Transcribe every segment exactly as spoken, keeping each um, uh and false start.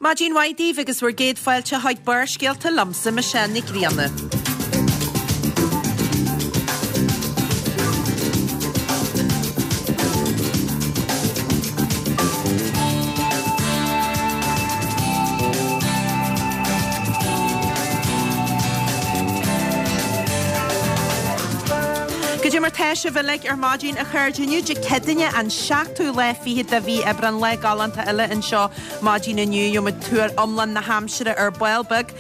Maidin mhaith daoibh agus bhur gcéad fáilte chuig Barrscéalta liomsa Michelle Nic Grianna. Goidé mar tá sibh uilig ar maidin a chairde inniu Dé Céadaoine an seachtú lá fichead de mhí Aibreán lá galánta eile anseo maidin inniu gheobhaimid tuar iomlán na haimsire ar ball beag.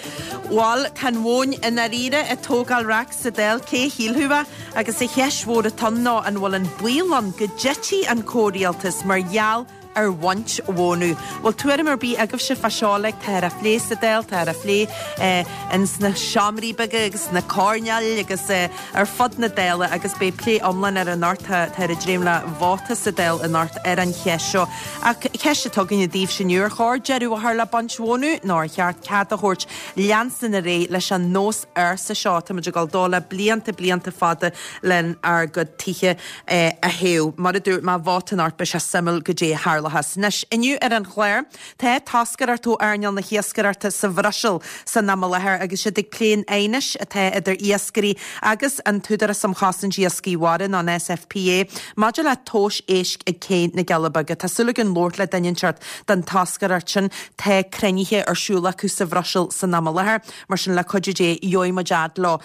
Bhal tá an mhóin i ndáiríre ag tógáil raic sa Dáil cé a shílfeadh é agus an cheist mhór atá ann ná an bhfuil an baol ann go dtitfidh an comhrialtas mar gheall ar bhaint mhónadh. Bhfuil tuairim ar bith agaibhse fá seo like táthar á phlé sa Dáil, táthar á phlé ins na seomraí beaga agus sna coirnéil agus ar fud na Dála agus beidh plé iomlán air anocht, táthar ag dréim le vóta sa Dáil anocht ar an cheist seo. Ach ceist atá againne daoibhse inniu, ar chóir deireadh a chur le baint mhónadh nó ar cheart cead a thabhairt leanstan ar aghaidh leis an nós ársa seo táimid ag dul dó le blianta blianta fada lenár gcuid tithe a théamh. Mar a dúirt mé vóta anocht beidh sé suimiúil goidé a tharlóchas. Anois, inniu ar an chlár, tá toscaireacht ó earnáil na hiascaireachta sa Bhruiséil san am i láthair agus siad ag plé an aighnis atá idir iascairí agus an tÚdarás um Chosaint Iascaigh Mhara, nó an SFPA, maidir le tomhais éisc ag Cé na gCealla Beaga. Tá súil againn labhairt le duine inteacht den toscaireacht sin. Tá cruinnithe ar siúl acu sa Bhruiséil san am i láthair, mar sin le cuidiú Dé gheobhaidh muid fhad leo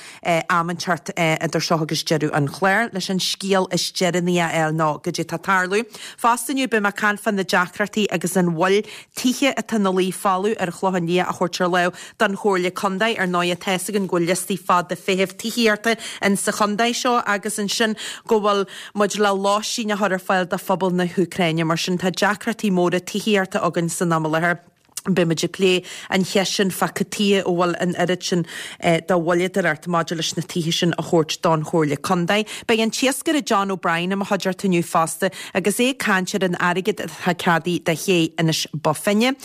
am inteacht idir seo agus deireadh an chláir leis an scéal is deireanaí a fháil nó goidé tá ag tarlú. Fosta inniu beidh mé ag caint fá na deacrachtaí agus an mhoill tithe atá ina luí folamh ar Chlochán Liath a thabhairt ar láimh don Chomhairle Contae. Ar ndóigh tá fhios againn go bhfuil liostaí fada feithimh tithíochta in sa chontae seo agus ansin go bhfuil muid le lóistín a chur ar fáil do phobal na hÚcráine. Mar sin tá deacrachtaí móra tithíochta againn san am i láthair. Beidh muid ag plé an cheist sin fá cad chuige a bhfuil an oiread sin de mhoilleadóireacht maidir leis na tithe sin a thabhairt don Chomhairle Contae. Beidh an t-iascaire John O'Brien i mo chuideachta inniu fosta agus é ag caint ar an airgead atá ceadaithe do ché Inis Bó Finne.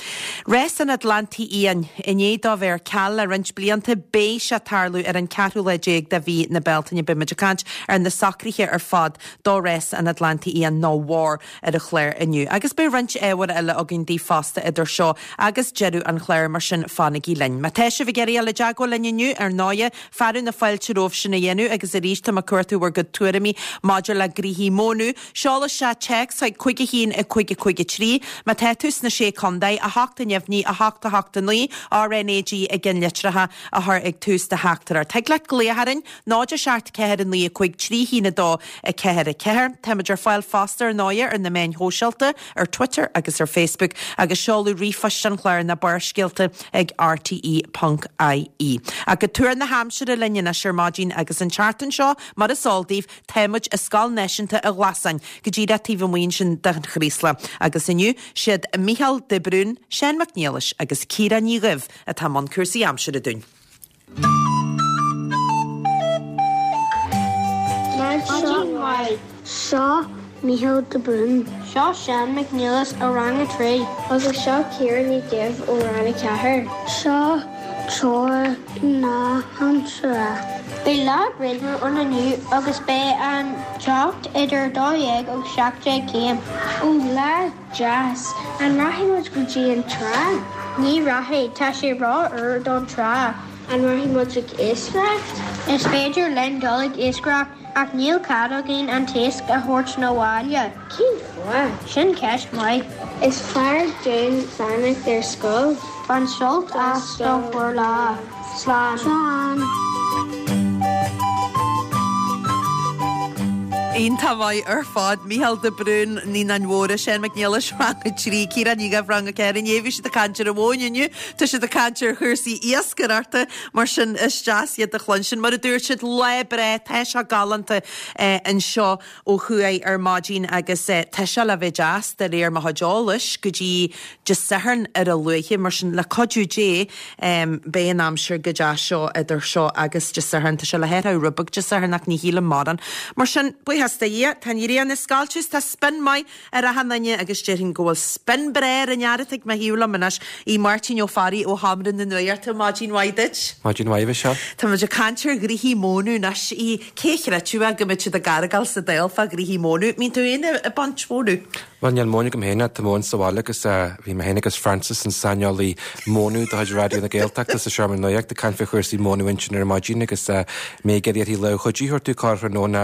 Rás an Atlantaigh Fhiáin, i ndiaidh dó bheith ar ceal le roinnt blianta, beidh sé ag tarlú ar an ceathrú lá déag de mhí na Bealtaine. Beidh muid ag caint ar na socruithe ar fad do Rás an Atlantaigh Fhiáin nó war ar an chlár inniu. Agus beidh roinnt ábhair eile againn daoibh fosta idir seo agus deireadh an chláir, mar sin fanaigí linn. Má tá sibh ag iarraidh dul i dteagmháil linn inniu, ar ndóighe, fearadh na fáilte romhaibh sin a dhéanamh agus arís tá mé ag cuartú bhur gcuid tuairimí maidir le gnoithí mónadh. Seol isteach téacs chuig cúig a haon a cúig a cúig a trí. Má tá tú sna Sé Contae, a hocht a neamhní, a hocht a hocht a naoi, RNAG i gceannlitreacha a chur ag tús do theachtaireacht. Thig leat glaoch orainn, náid a seacht ceathair a naoi a cúig trí haon a dó a ceathair a ceathair. Táimid ar fáil fosta ar ndóighe ar na meáin shóisialta, ar Twitter agus ar Facebook agus seoladh ríomhphoist an chláir ná Barrscéalta ag rte ponc ie. Ach go tuar na haimsire linn anois ar maidin agus an tseachtain seo, mar is eol daoibh, tá muid i Scoil Náisiúnta an Ghlasáin, go díreach taobh amuigh ansin den Chraoslach. Agus inniu, siad Mícheál de Brún, Seán Mac Niallais agus Ciara Ní Dhuibh atá i mbun cúrsaí aimsire dúinn. Maidin mhaith. Seo Mícheál de Brún. Seo Seán Mac Niallais ó Rang a trí. Agus seo Ciara Ní Dhuibh ó Rang a ceathair. Seo treoir na haimsire. Beidh lá grianmhar ann inniu agus beidh an teocht idir dó dhéag agus seacht déag céim. Ó lá deas! An rachaidh muid go dtí an trá? Ní rachaidh, tá sé ró-fhuar don trá. An rachaidh muid ag iascaireacht? Is féidir linn dul ag iascaireacht ach níl cead againn an t-iasc a thabhairt 'na bhaile. Cén fáth? Sin ceist mhaith. Is fearr dúinn fanacht ar scoil. Bain sult as do bhur lá. Slán. Slán. Iontach maith ar fad. Mícheál de Brún, Naíonáin Mhóra, Seán Mac Niallais, Rang a trí, Ciara Ní Dhuibh, Rang a ceathair. Inné bhí siad ag caint ar an mhóin, inniu tá siad ag caint ar chúrsaí iascaireachta, mar sin is deas iad a chluinstin. Mar a dúirt siad, lá breá, tá sé galánta anseo ó thuaidh ar maidin agus tá sé le bheith deas, de réir mo chuid eolais, go dtí Dé Sathairn ar a luaithe. Mar sin, le cuidiú Dé, beidh an aimsir go deas seo idir seo agus Dé Sathairn. Tá sé le hathrú rud beag Dé Sathairn ach ní shílim mórán. Mar sin, buíochas do Dhia, tá an ghrian ag scoilteadh is tá spion maith ar achan duine agus déarfainn go bhfuil spion breá ar an fhear atá ag mo thaobh liom anois, í Máirtín Ó Fearraigh ó Sheomra na Nuachta. Maidin mhaith duit. Maidin mhaith, a Mhichelle. Tá muid ag caint ar ghnoithí mónadh anois. Í, cé a chreidfeadh go mbeadh siad ag argáil sa Dáil fá ghnoithí mónadh? Mbíonn tú féin ag baint mhónadh? Bhuel, níl móin agam féin, tá móin sa bhaile agus bhí mé féin agus Francis, an saineolaí mónadh de chuid Raidió na Gaeltachta sa Seomra Nuachta, ag caint faoi chúrsaí mónadh ansin ar maidin agus mé ag iarraidh uirthi lámh chuidí a thabhairt domh corrthráthnóna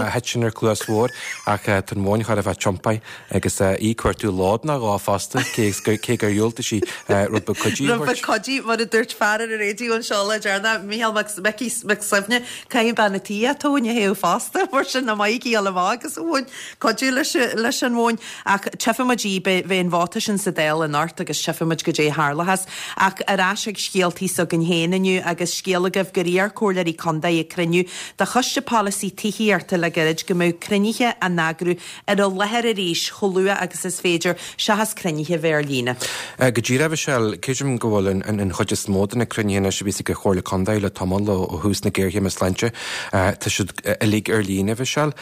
a thit ar chluas bhodhar ach tá an mhóin chóir a bheith tiompaithe agus í ag cuartú lód nó dhó fosta cé cé gur dhiúltaigh sí rud beag cuidí a Rud beag thabhairt. cuidí mar a dúirt fear ar an raidió anseo le deireanas, Mícheál Mac Micí Mac Suibhne, caithfidh bean an tí a tóin a théamh fosta mar sin na maidhcí a amach agus amháin cuidiú leis leis an mhóin ach tchífimid í bheith an vóta sin sa Dáil anocht agus tchífimid goidé a tharlós ach ar ais ag scéaltaí s'againn féin inniu agus scéal agaibh gur iarr comhairleoirí contae ag cruinniú de choiste polasaí tithíochta le gairid go mbeadh cruinnithe á n-eagrú ar an láthair arís chomh luath agus is féidir seachas cruinnithe bheith ar líne. Go díreach Michelle, creidim go bhfuil an, an chuid is mó de na cruinnithe anois a bhí ag an Chomhairle Contae le tamall ó ó thús na géarchéime sláinte tá siad uilig ar líne Michelle.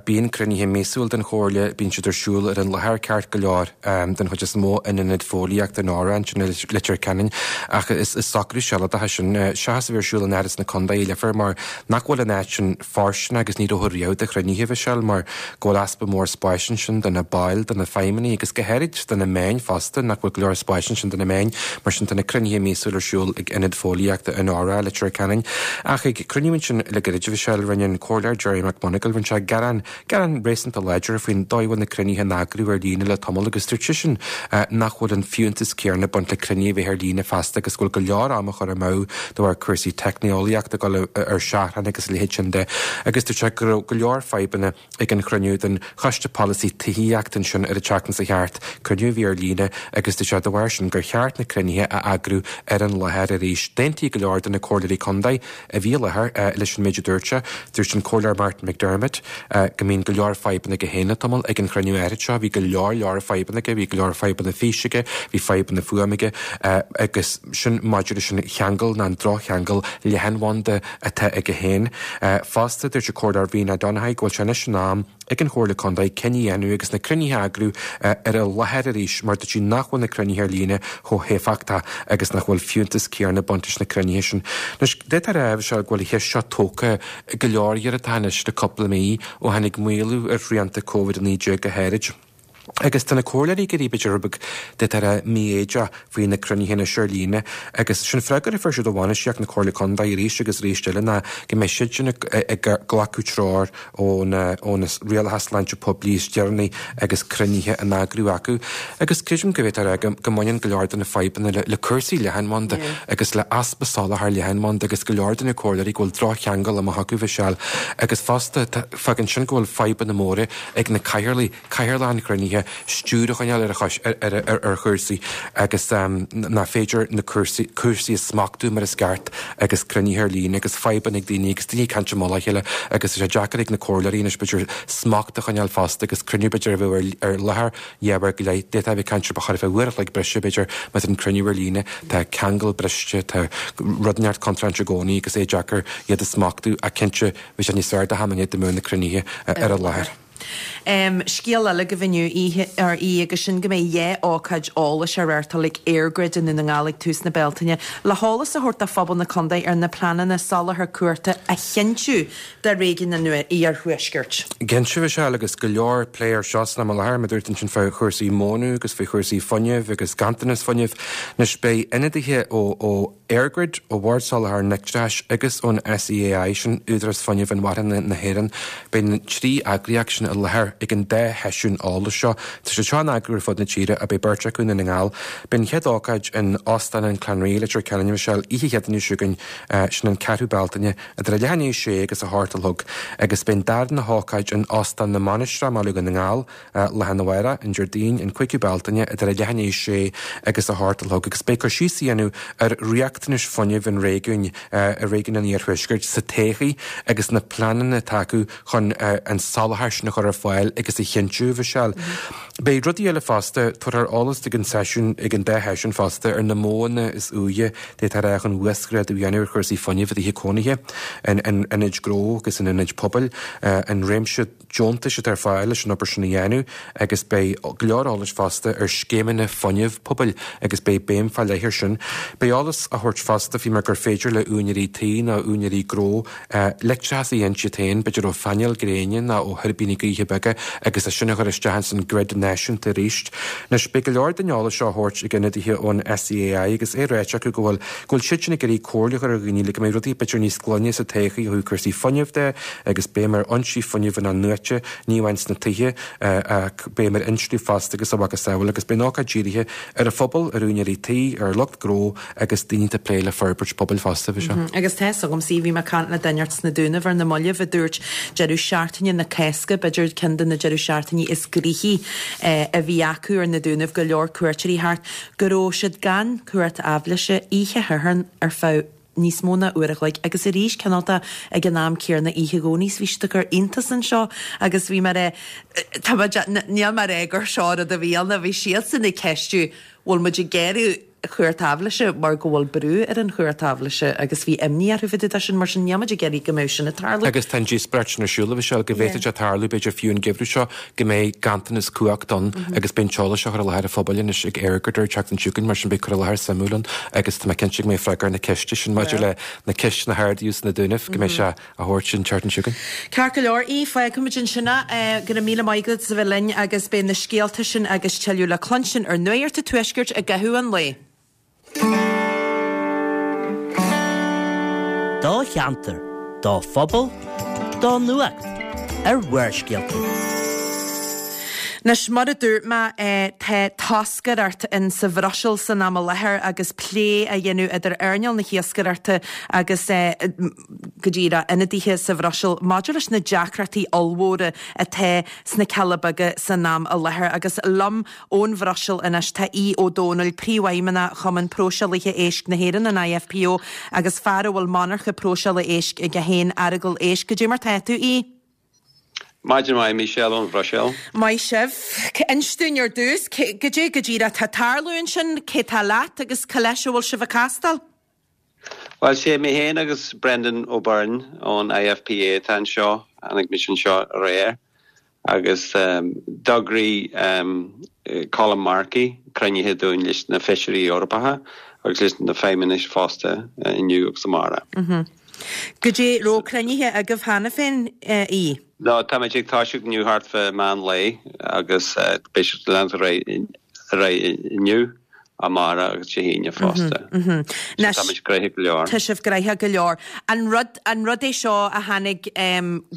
Bíonn cruinnithe míosúil den Chomhairle, bíonn siad ar siúl ar an láthair ceart go leor den chuid is mó in ionad fóillíochta in Óra ansin i Leitir Ceanainn ach is, is socrú sealadach é sin seachas a bheith ar siúl in Áras na Contae i Leifear mar nach bhfuil an áit sin fóirsteanach agus ní dócha riamh do chruinnithe Michelle mar go bhfuil easpa mór spáis ansin do na baill, do na feidhmeannaigh agus go háirid do na meáin fosta nach bhfuil go leor spáis ansin do na meáin mar sin tá na cruinnithe míosúil ar siúl ag ionad fóillíochta in Óra Leitir Ceanainn ach ag cruinniú ansin le gairid Michelle rinne an comhairleoir Jerry McMonagall rinne sé gearán gearán réasúnta láidir faoin dóigh a bhfuil na cruinnithe á n-eagrú ar líne le tamall agus dúirt seisean nach bhfuil an fiúntas céanna ag baint le cruinnithe a bheith ar líne feasta agus go bhfuil go leor ama curtha amú de bharr cúrsaí teicneolaíochta go ar seachrán agus a leithéid sin de agus dúirt sé go raibh go leor fadhbanna ag an chruinniú den choiste polasaí tithíochta ansin ar an tseachtain seo thart cruinniú a bhí ar líne agus dúirt sé de bharr sin gur cheart na cruinnithe a eagrú ar an láthair arís. D'aontaigh go leor de na comhairleoirí contae a bhí i láthair leis an méid a dúirt sé, dúirt an comhairleoir Martin McDermott go mbíonn go leor fadhbanna aige féin le tamall ag an chruinniú áirid seo, bhí go leor leor fadhbanna aige, bhí go leor fadhbanna físe aige, bhí fadhbanna fuaime aige agus sin maidir leis an cheangal ná an drochcheangal leathanbhanda atá aige féin. Fosta dúirt an comhairleoir Rena Donaghey go bhfuil sé anois in am ag an Chomhairle Contae cinneadh a dhéanamh agus na cruinnithe a eagrú ar an láthair arís mar dúirt sí nach bhfuil na cruinnithe ar líne chomh héifeachtach agus nach bhfuil fiúntas céanna ag baint leis na cruinnithe sin. Anois d'fhéadfá a rá go bhfuil an cheist seo tógtha go leor iarrata anois le cúpla mí ó tháinig maolú ar shrianta Covid a naoi déag go háirid. Agus tá na comhairleoirí ag éirí b'fhéidir beag d'fhéadfá a rá mífhoighdeach faoi na cruinnithe anois ar líne agus sin freagra a fuair siad ó bhainistíocht na Comhairle Contae arís agus arís eile ná go mbeidh siad sin ag glacadh treoir ó na ó na rialacha sláinte poiblí is deireanaí agus cruinnithe á n-eagrú acu. Agus creidim go bhféadfá a rá go mbaineann go leor de na fadhbanna le, le cúrsaí leathanbhanda agus le easpa soláthar leathanbhanda agus go leor de na comhairleoirí go bhfuil drochcheangal amach acu Michelle agus fosta fágann sin go bhfuil fadhbanna móra ag na cathaoirligh cathaoirleach an chruinnithe stiúir a choinneáil ar ar ar ar chúrsaí agus um, nach féidir na cúrsaí cúrsaí a smachtú mar is ceart agus cruinnithe ar líne agus fadhbanna ag daoine agus daoine ag caint i mullach a chéile agus sé deacair ag na comhairleoirí anois b'fhéidir smacht a choinneáil fosta agus cruinniú b'fhéidir a bheith ar ar láthair dheamhar go leith d'fhéadfá bheith ag caint ba chóir a bheith uair a chloig breise b'fhéidir má tá an cruinniú ar líne tá ceangal briste tá rud neart contráilte i gcónaí agus é deacair iad a smachtú a cinnte bhí sé níos fearr do hamanna de na cruinnithe ar an láthair. Um, Scéal eile go bhfiú ar í agus sin go mbeidh dhá ócáid eolais á reáchtáil ag EirGrid i nDún na nGall ag tús na Bealtaine, le heolas a thabhairt do phobal na contae ar na pleananna soláthar cumhachta a chinntiú do réigiún an iarthuaiscirt. Cinnte Michelle agus go leor plé air seo san am i láthair, mar a dúirt ansin faoi chúrsaí móna agus faoi chúrsaí fuinnimh agus ganntanas fuinnimh. Anois beidh ionadaithe ó ó EirGrid ó Bhord Soláthair an Leictreachais agus ón SEAI sin Údarás Fuinnimh Inmharthana na hÉireann. Beidh na trí eagraíocht sin i láthair ag an dá sheisiún eolais seo. Tá sé seo á n-eagrú ar fud na tíre a beidh beirt acu i nDún na nGall. Beidh an chéad ócáid in Óstán an Clanree Leitir Ceanainn Michelle oíche Chéadaoine seo chugainn sin an ceathrú Bealtaine idir a leath i ndiaidh a sé agus a hocht a chlog agus beidh an darna hócáid in Óstán na Mainistreach i mBaile Dhún na nGall lá arna mhárach an Déardaoin an cúigiú Bealtaine idir a leath i ndiaidh a sé agus a hocht a chlog agus beidh cur síos á dhéanamh ar riachtanais fuinnimh an réigiúin i réigiún an Iarthuaiscirt sa todhchaí agus na pleananna atá acu chun an soláthar sin a chur ar fáil agus a chinntiú Michelle. Beidh rudaí eile fosta tabharfar eolas ag an seisiún ag an dá sheisiún fosta ar na modhanna is úire d'fhéadfá a rá chun uasghrádú a dhéanamh ar chúrsaí fuinnimh i dtithe cónaithe in ionaid ghnó agus in ionaid pobail an réimse deontais atá ar fáil leis an obair sin a dhéanamh agus beidh go leor eolais fosta ar scéimeanna fuinnimh pobail agus beidh béim fá leith air sin. Beidh eolas á thabhairt fosta faoi mar gur féidir le úinéirí tí nó úinéirí gnó leictreachas a ghiniúint iad féin, b'fhéidir ó phainéil gréine nó ó thuirbíní gaoithe beaga agus é sin a chur isteach san grid náisiúnta náisiúnta arís. Anois beidh go leor den eolas seo á thabhairt ag ionadaithe ón SEAI agus é ráite acu go bhfuil go bhfuil siad sin ag iarraidh comhairle a chur ar dhaoine le go mbeidh rudaí b'fhéidir níos glaine sa todhchaí ó thaobh cúrsaí fuinnimh de agus béim ar fhoinsí fuinnimh in-athnuaite, ní amháin sna tithe ach béim ar insliú fosta agus a mhacasamhail agus beidh an ócáid dírithe ar an phobal, ar úinéirí tí, ar lucht gnó agus daoine atá ag plé le forbairt pobail fosta. Bhí seo. Agus tá fhios agam, sea, bhí mé ag caint le duine sna Dúnaibh ar na mallaibh a dúirt deireadh seachtaine na Cásca, b'fhéidir ceann de na deireadh seachtainí is gnoithí a bhí acu ar na Dúnaibh, go leor cuairteoirí thart, go raibh siad gan cumhacht aibhléise oíche Shathairn ar feadh níos mó ná uair a chloig agus arís cineálta ag an am céanna oíche Dhomhnaigh bhí siad ag cur iontas anseo agus bhí mé a tá níl mé ag rá gur seo rud a bhí ann bhí siadsan ag ceistiú bhfuil muid ag gearradh cumhacht aibhléise mar go bhfuil brú ar an chumhacht aibhléise agus bhí imní orthu fá dtaobh de sin mar sin níl muid ag iarraidh go mbeadh sin ag tarlú. Agus tá an díospóireacht sin ar siúl a Mhichelle go bhféadfadh sé tarlú b'fhéidir fiú an geimhreadh seo go mbeidh ganntanas cumhacht ann agus beidh an t-eolas seo á chur i láthair an phobail anois ag EirGrid an tseachtain seo chugainn mar sin beidh cur i láthair suimiúil ann agus tá mé cinnte go mbeidh freagra ar na ceiste sin maidir le na ceisteanna a ardaíodh sna Dúnaibh go mbeidh sé á thabhairt an tseachtain seo chugainn. Ceart go leor í fágfaimid ansin é go raibh míle maith agat as a bheith linn agus beidh na scéalta sin agus tuilleadh le cluinstin ar Nuacht an Tuaiscirt i gcaitheamh an lae. Do cheantar, do phobal, do nuacht ar Bharrscéalta. Anois mar a dúirt mé tá toscaireacht in sa Bhruiséil san am i láthair agus plé á dhéanamh idir earnáil na hiascaireachta agus go díreach ionadaithe sa Bhruiséil maidir leis na deacrachtaí ollmhóra atá sna Cealla Beaga san am i láthair agus liom ón Bhruiséil anois tá Aodh Ó Domhnaill, Príomhfheidhmeannach Chumann Próiseálaithe Éisc na hÉireann an IFPO agus fear a bhfuil monarcha próiseála éisc aige féin Earagail Éisc. Goidé mar tá tú Aodh? Maidin mhaith Michelle ón Bhruiséil. Maith sibh. Inis dúinn ar dtús, goidé go díreach atá ag tarlú ansin, cé tá leat agus cá leis a bhfuil sibh ag castáil? Well sé mé féin agus Brendan O'Byrne ón IFPA atá anseo, tháinig mise anseo aréir agus um, d'eagraigh um, Colm Markey cruinnithe dúinn leis na feisirí Eorpacha agus leis na feidhmeannais fosta inniu agus amárach. Mm -hmm. Goidé raibh cruinnithe agaibh cheana féin í? No, tá muid ag toiseacht inniu thart fá meán lae agus beidh siad leanúint ar aghaidh inniu, amárach agus Dé hAoine fosta. Tá muid gnoitheach go leor. Tá sibh gnoitheach go leor. An rud an rud é seo a tháinig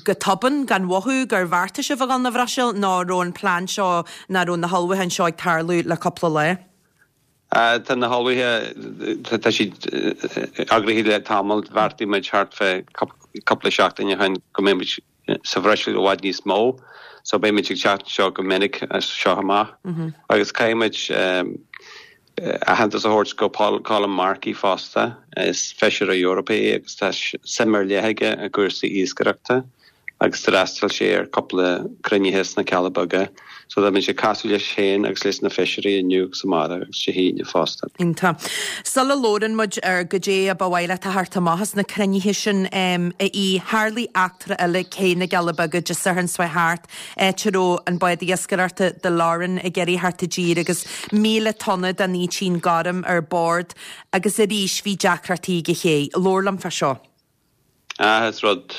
go tobann gan mhothú gur bheartaigh sibh a dhul na Bhruiséil nó raibh an plean seo ná raibh na hullmhúcháin seo ag tarlú le cúpla lá? Tá na hullmhúcháin tá siad eagraithe le tamall bheartaigh muid thart fá cúpla seachtain ó shin go mbeidh muid sa Bhruiséil i bhfad níos mó, so beidh muid ag teacht anseo go minic as seo amach. Agus caithfidh muid aitheantas a thabhairt go Colm Markey fosta, is feisire Eorpaí é agus tá suim ar leith aige i gcúrsaí iascaireachta agus d'fhreastail sé ar cúpla cruinnithe sna Cealla Beaga. So tá muid ag casadh leis féin agus leis na feisirí inniu agus amárach agus Dé hAoine fosta. Iontach. Sula labhrann muid ar goidé a ba mhaith leat a theacht amach as na cruinnithe sin a Aoidh, tharlaigh eachtra eile cé na gCealla Beaga Dé Sathairn seo thart, áit a raibh an bád iascaireachta The Lauren ag iarraidh theacht i dtír agus míle tonna den fhaoitín gorm ar bord agus arís bhí deacrachtaí ag an ché. Labhair liom fá seo. Ah, is rud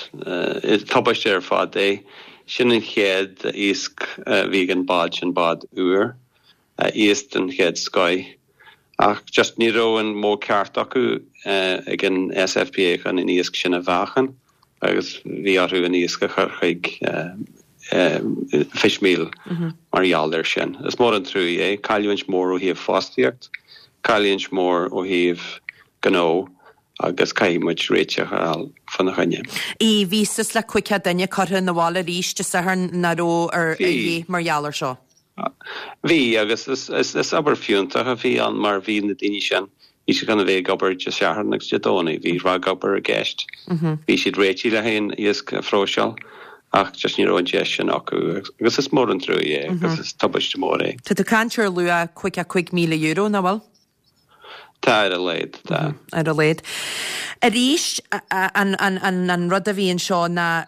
is tubaiste ar fad é. Sin an chéad iasc a bhí ag an bád sin bád úr, iasc den chéad scoith. Ach just ní raibh an modh ceart acu ag an SFPA chun an iasc sin a mheáchan agus bhí orthu an iasc a chur chuig fishmeal mar gheall air sin. Is mór an trua é, cailliúint mór ó thaobh fostaíocht, cailliúint mór ó thaobh gnó agus caithfidh muid réiteach a fháil fána choinne. Í bhí suas le cúig chéad duine curtha na bhaile arís Dé Sathairn nach raibh ar a mar gheall air seo. Bhí agus is, is, is obair fiúntach a bhí ann mar bhí na daoine sin bhí siad chun a bheith ag obair Dé Sathairn agus Dé Domhnaigh, bhí ragobair i gceist. Bhí siad réitithe le haon iasc a phróiseáil ach just ní raibh an deis sin acu agus is mór an trua é agus is tubaiste mór é. Tá tú caint ar luach cúig a cúig míle euro nach bhfuil? Tá ar a laghad tá. Ar a laghad. Arís an, an, an, an rud a bhí anseo ná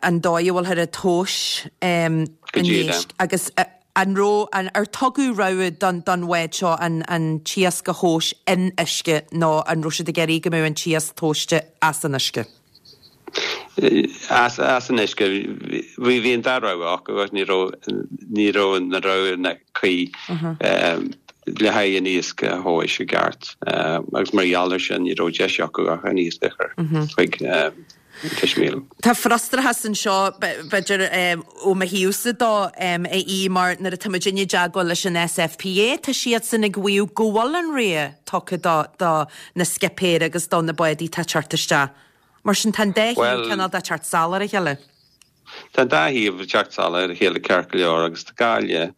an dóigh a bhfuil ar tomhas um, an éisc agus an raibh an ar tugadh rogha don don bhád seo an an t-iasc a thomhas in uisce nó an raibh siad ag iarraidh go mbeadh an t-iasc tomhaiste as an uisce. As as an uisce bhí bhí an dá rogha acu agus ní raibh ní raibh na roghanna cuí le haghaidh an iasc a thomhas i gceart agus mar gheall air sin ní raibh deis acu ach an iasc a chur chuig Fishmeal. Tá frustrachas anseo b'fhéidir ó mo thaobhsa dó a Aoidh mar nuair atá muid i dteagmháil leis an SFPA tá siadsan ag maíomh go bhfuil an rogha tugtha do do na scipéir agus do na bádaí atá ag teacht isteach. Mar sin tá an dá thaobh cineál de ag teacht salach ar a chéile. Tá an dá thaobh ag teacht salach ar a chéile ceart go leor agus tá gá le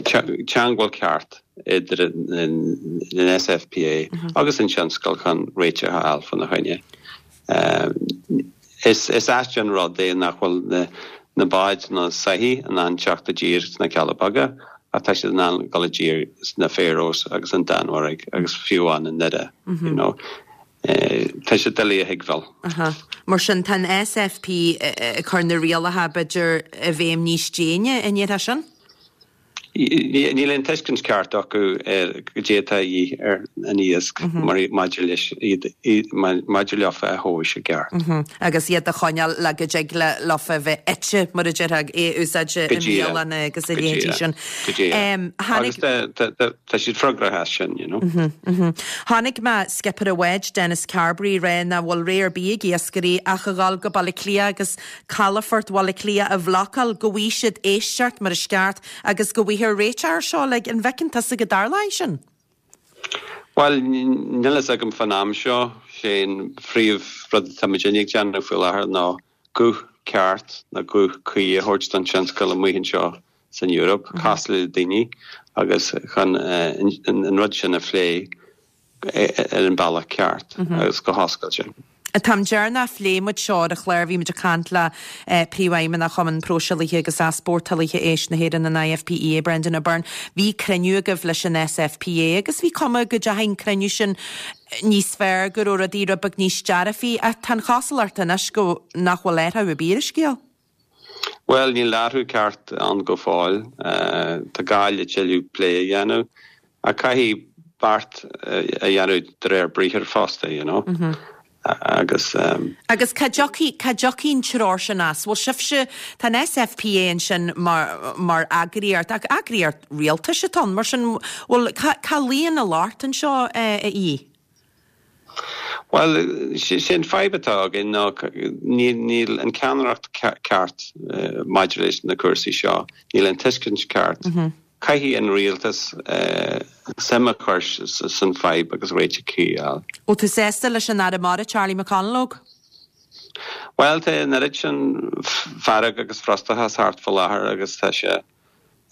teagmháil ceart idir an SFPA agus an tionscal chun réiteach a fháil faoina choinne. Is is aisteach an rud é nach bhfuil na báid na soithí in ann teacht i dtír sna Cealla Beaga ach tá siad in ann dul i dtír sna Faroes agus an Danmhairg agus fiú amháin i nDoire, you know. Tá sé doiligh a thuigbheáil. Aha. Mar sin tá an SFP ag cur na rialacha b'fhéidir i bhfeidhm níos déine an ndéarfá sin? Níl aon tuiscint ceart acu ar goidé atá de dhíth ar an iasc maidir leis maidir leofa a thomhas i gceart. Agus iad a choinneáil le go dtig leofa bheith ite mar a déarfá é a úsáid i mbialanna agus a leithéidí sin. Go díreach. Agus tá siad freagrach as sin, you know. Chonaic mé skipper an bháid, Dennis Carberry, ag rá nach bhfuil rogha ar bith ag iascairí ach a dhul go Baile Átha Cliath agus calafort Bhaile Átha Cliath a bhlocáil go bhfaighidh siad éisteacht mar is ceart agus go bhfaighfear réiteach air seo, like, an bhfeiceann tusa go dtarlóidh sin? Bhuel, níl a fhios agam fán am seo. Sé an phríomh rud atá muidinne ag déanamh faoi láthair ná guth ceart nó guth cuí a thabhairt don tionscal amuigh anseo san Eoraip, casadh le daoine agus chun an rud sin a phlé ar an bealach ceart agus go hoscailte. An t-am deireanach a phléigh muid seo ar an chlár, bhí muid ag caint le Príomhfheidhmeannach Chumann Próiseálaithe agus Easpórtálaithe Éisc na hÉireann, an IFPEA, Brendan O'Byrne. Bhí cruinniú agaibh leis an SFPA agus bhí cuma go dteachaigh an cruinniú sin níos fearr, go raibh rudaí rud beag níos dearfaí ach tá an chosúlacht anois go nach bhfuil athrú ar bith ar an scéal. Bhuel, níl athrú ceart ann go fóill. Tá gá le tuilleadh plé a dhéanamh ach caithfidh beart a dhéanamh de réir briathair fosta, you know. Agus. Agus cá dtiocfaidh, cá dtiocfaidh an treoir sin as? Bhuel, sibhse, tá an SFPA ansin mar, mar eagraíocht, ach eagraíocht rialtais atá ann, mar sin, bhuel, cá, cá luíonn an locht anseo, a Aoidh? Bhuel, sé an fadhb atá againn ná níl, níl an ceannaireacht ceart maidir leis na cúrsaí seo, níl an tuiscint ceart. Caithfidh an rialtas suim a chur san fadhb agus réiteach cuí a fháil. Bhfuil tú sásta leis an Aire Mara, Charlie McConalogue? Bhuel, tá an oiread sin fearg agus frustrachas thart faoi láthair agus tá sé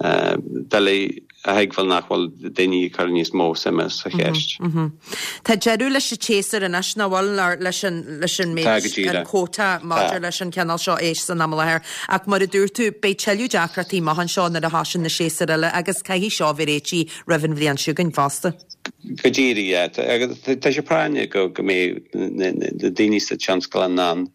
doiligh a thuigbheáil nach bhfuil daoine ag cur níos mó suime sa cheist. Tá deireadh leis an tséasúr anois, nach bhfuil, leis an leis an méid, an quota maidir leis an chineál seo éisc san am i láthair. Ach mar a dúirt tú, beidh tuilleadh deacrachtaí amach anseo nuair a thosaíonn na séasúir eile agus caithfidh seo a bheith réitithe roimh an bhliain seo chugainn fosta. Go díreach, yeah. Tá sé práinneach go go mbeidh na daoine sa tionscal in ann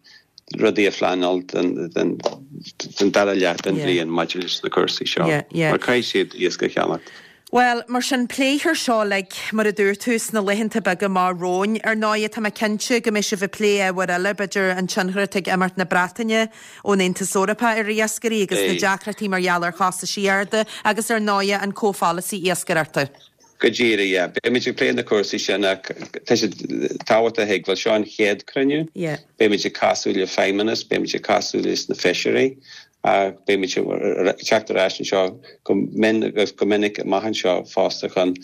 rudaí a phleanáil don dara leath den bhliain maidir leis na cúrsaí seo, mar caithfidh siad iasc a cheannacht. Bhuel, mar sin, pléifear seo uilig, mar a dúirt tú, sna laethanta beaga amach romhainn. Ar ndóigh, tá mé cinnte go mbeidh sibh ag plé ábhair eile, b'fhéidir an tionchar atá ag imeacht na Breataine ón Aontas Eorpach ar iascairí agus na deacrachtaí mar gheall ar chostaisí arda agus, ar ndóigh, an comhpholasaí iascaireachta. Go díreach, yeah. Beimid ag plé na cúrsaí sin ach tá sé tábhachtach a thuigbheáil, seo an chéad cruinniú. Beimid ag casadh le feidhmeannas, beimid ag casadh leis na feisirí ach beimid ag teacht ar ais anseo go mion agus go minic amach anseo fosta chun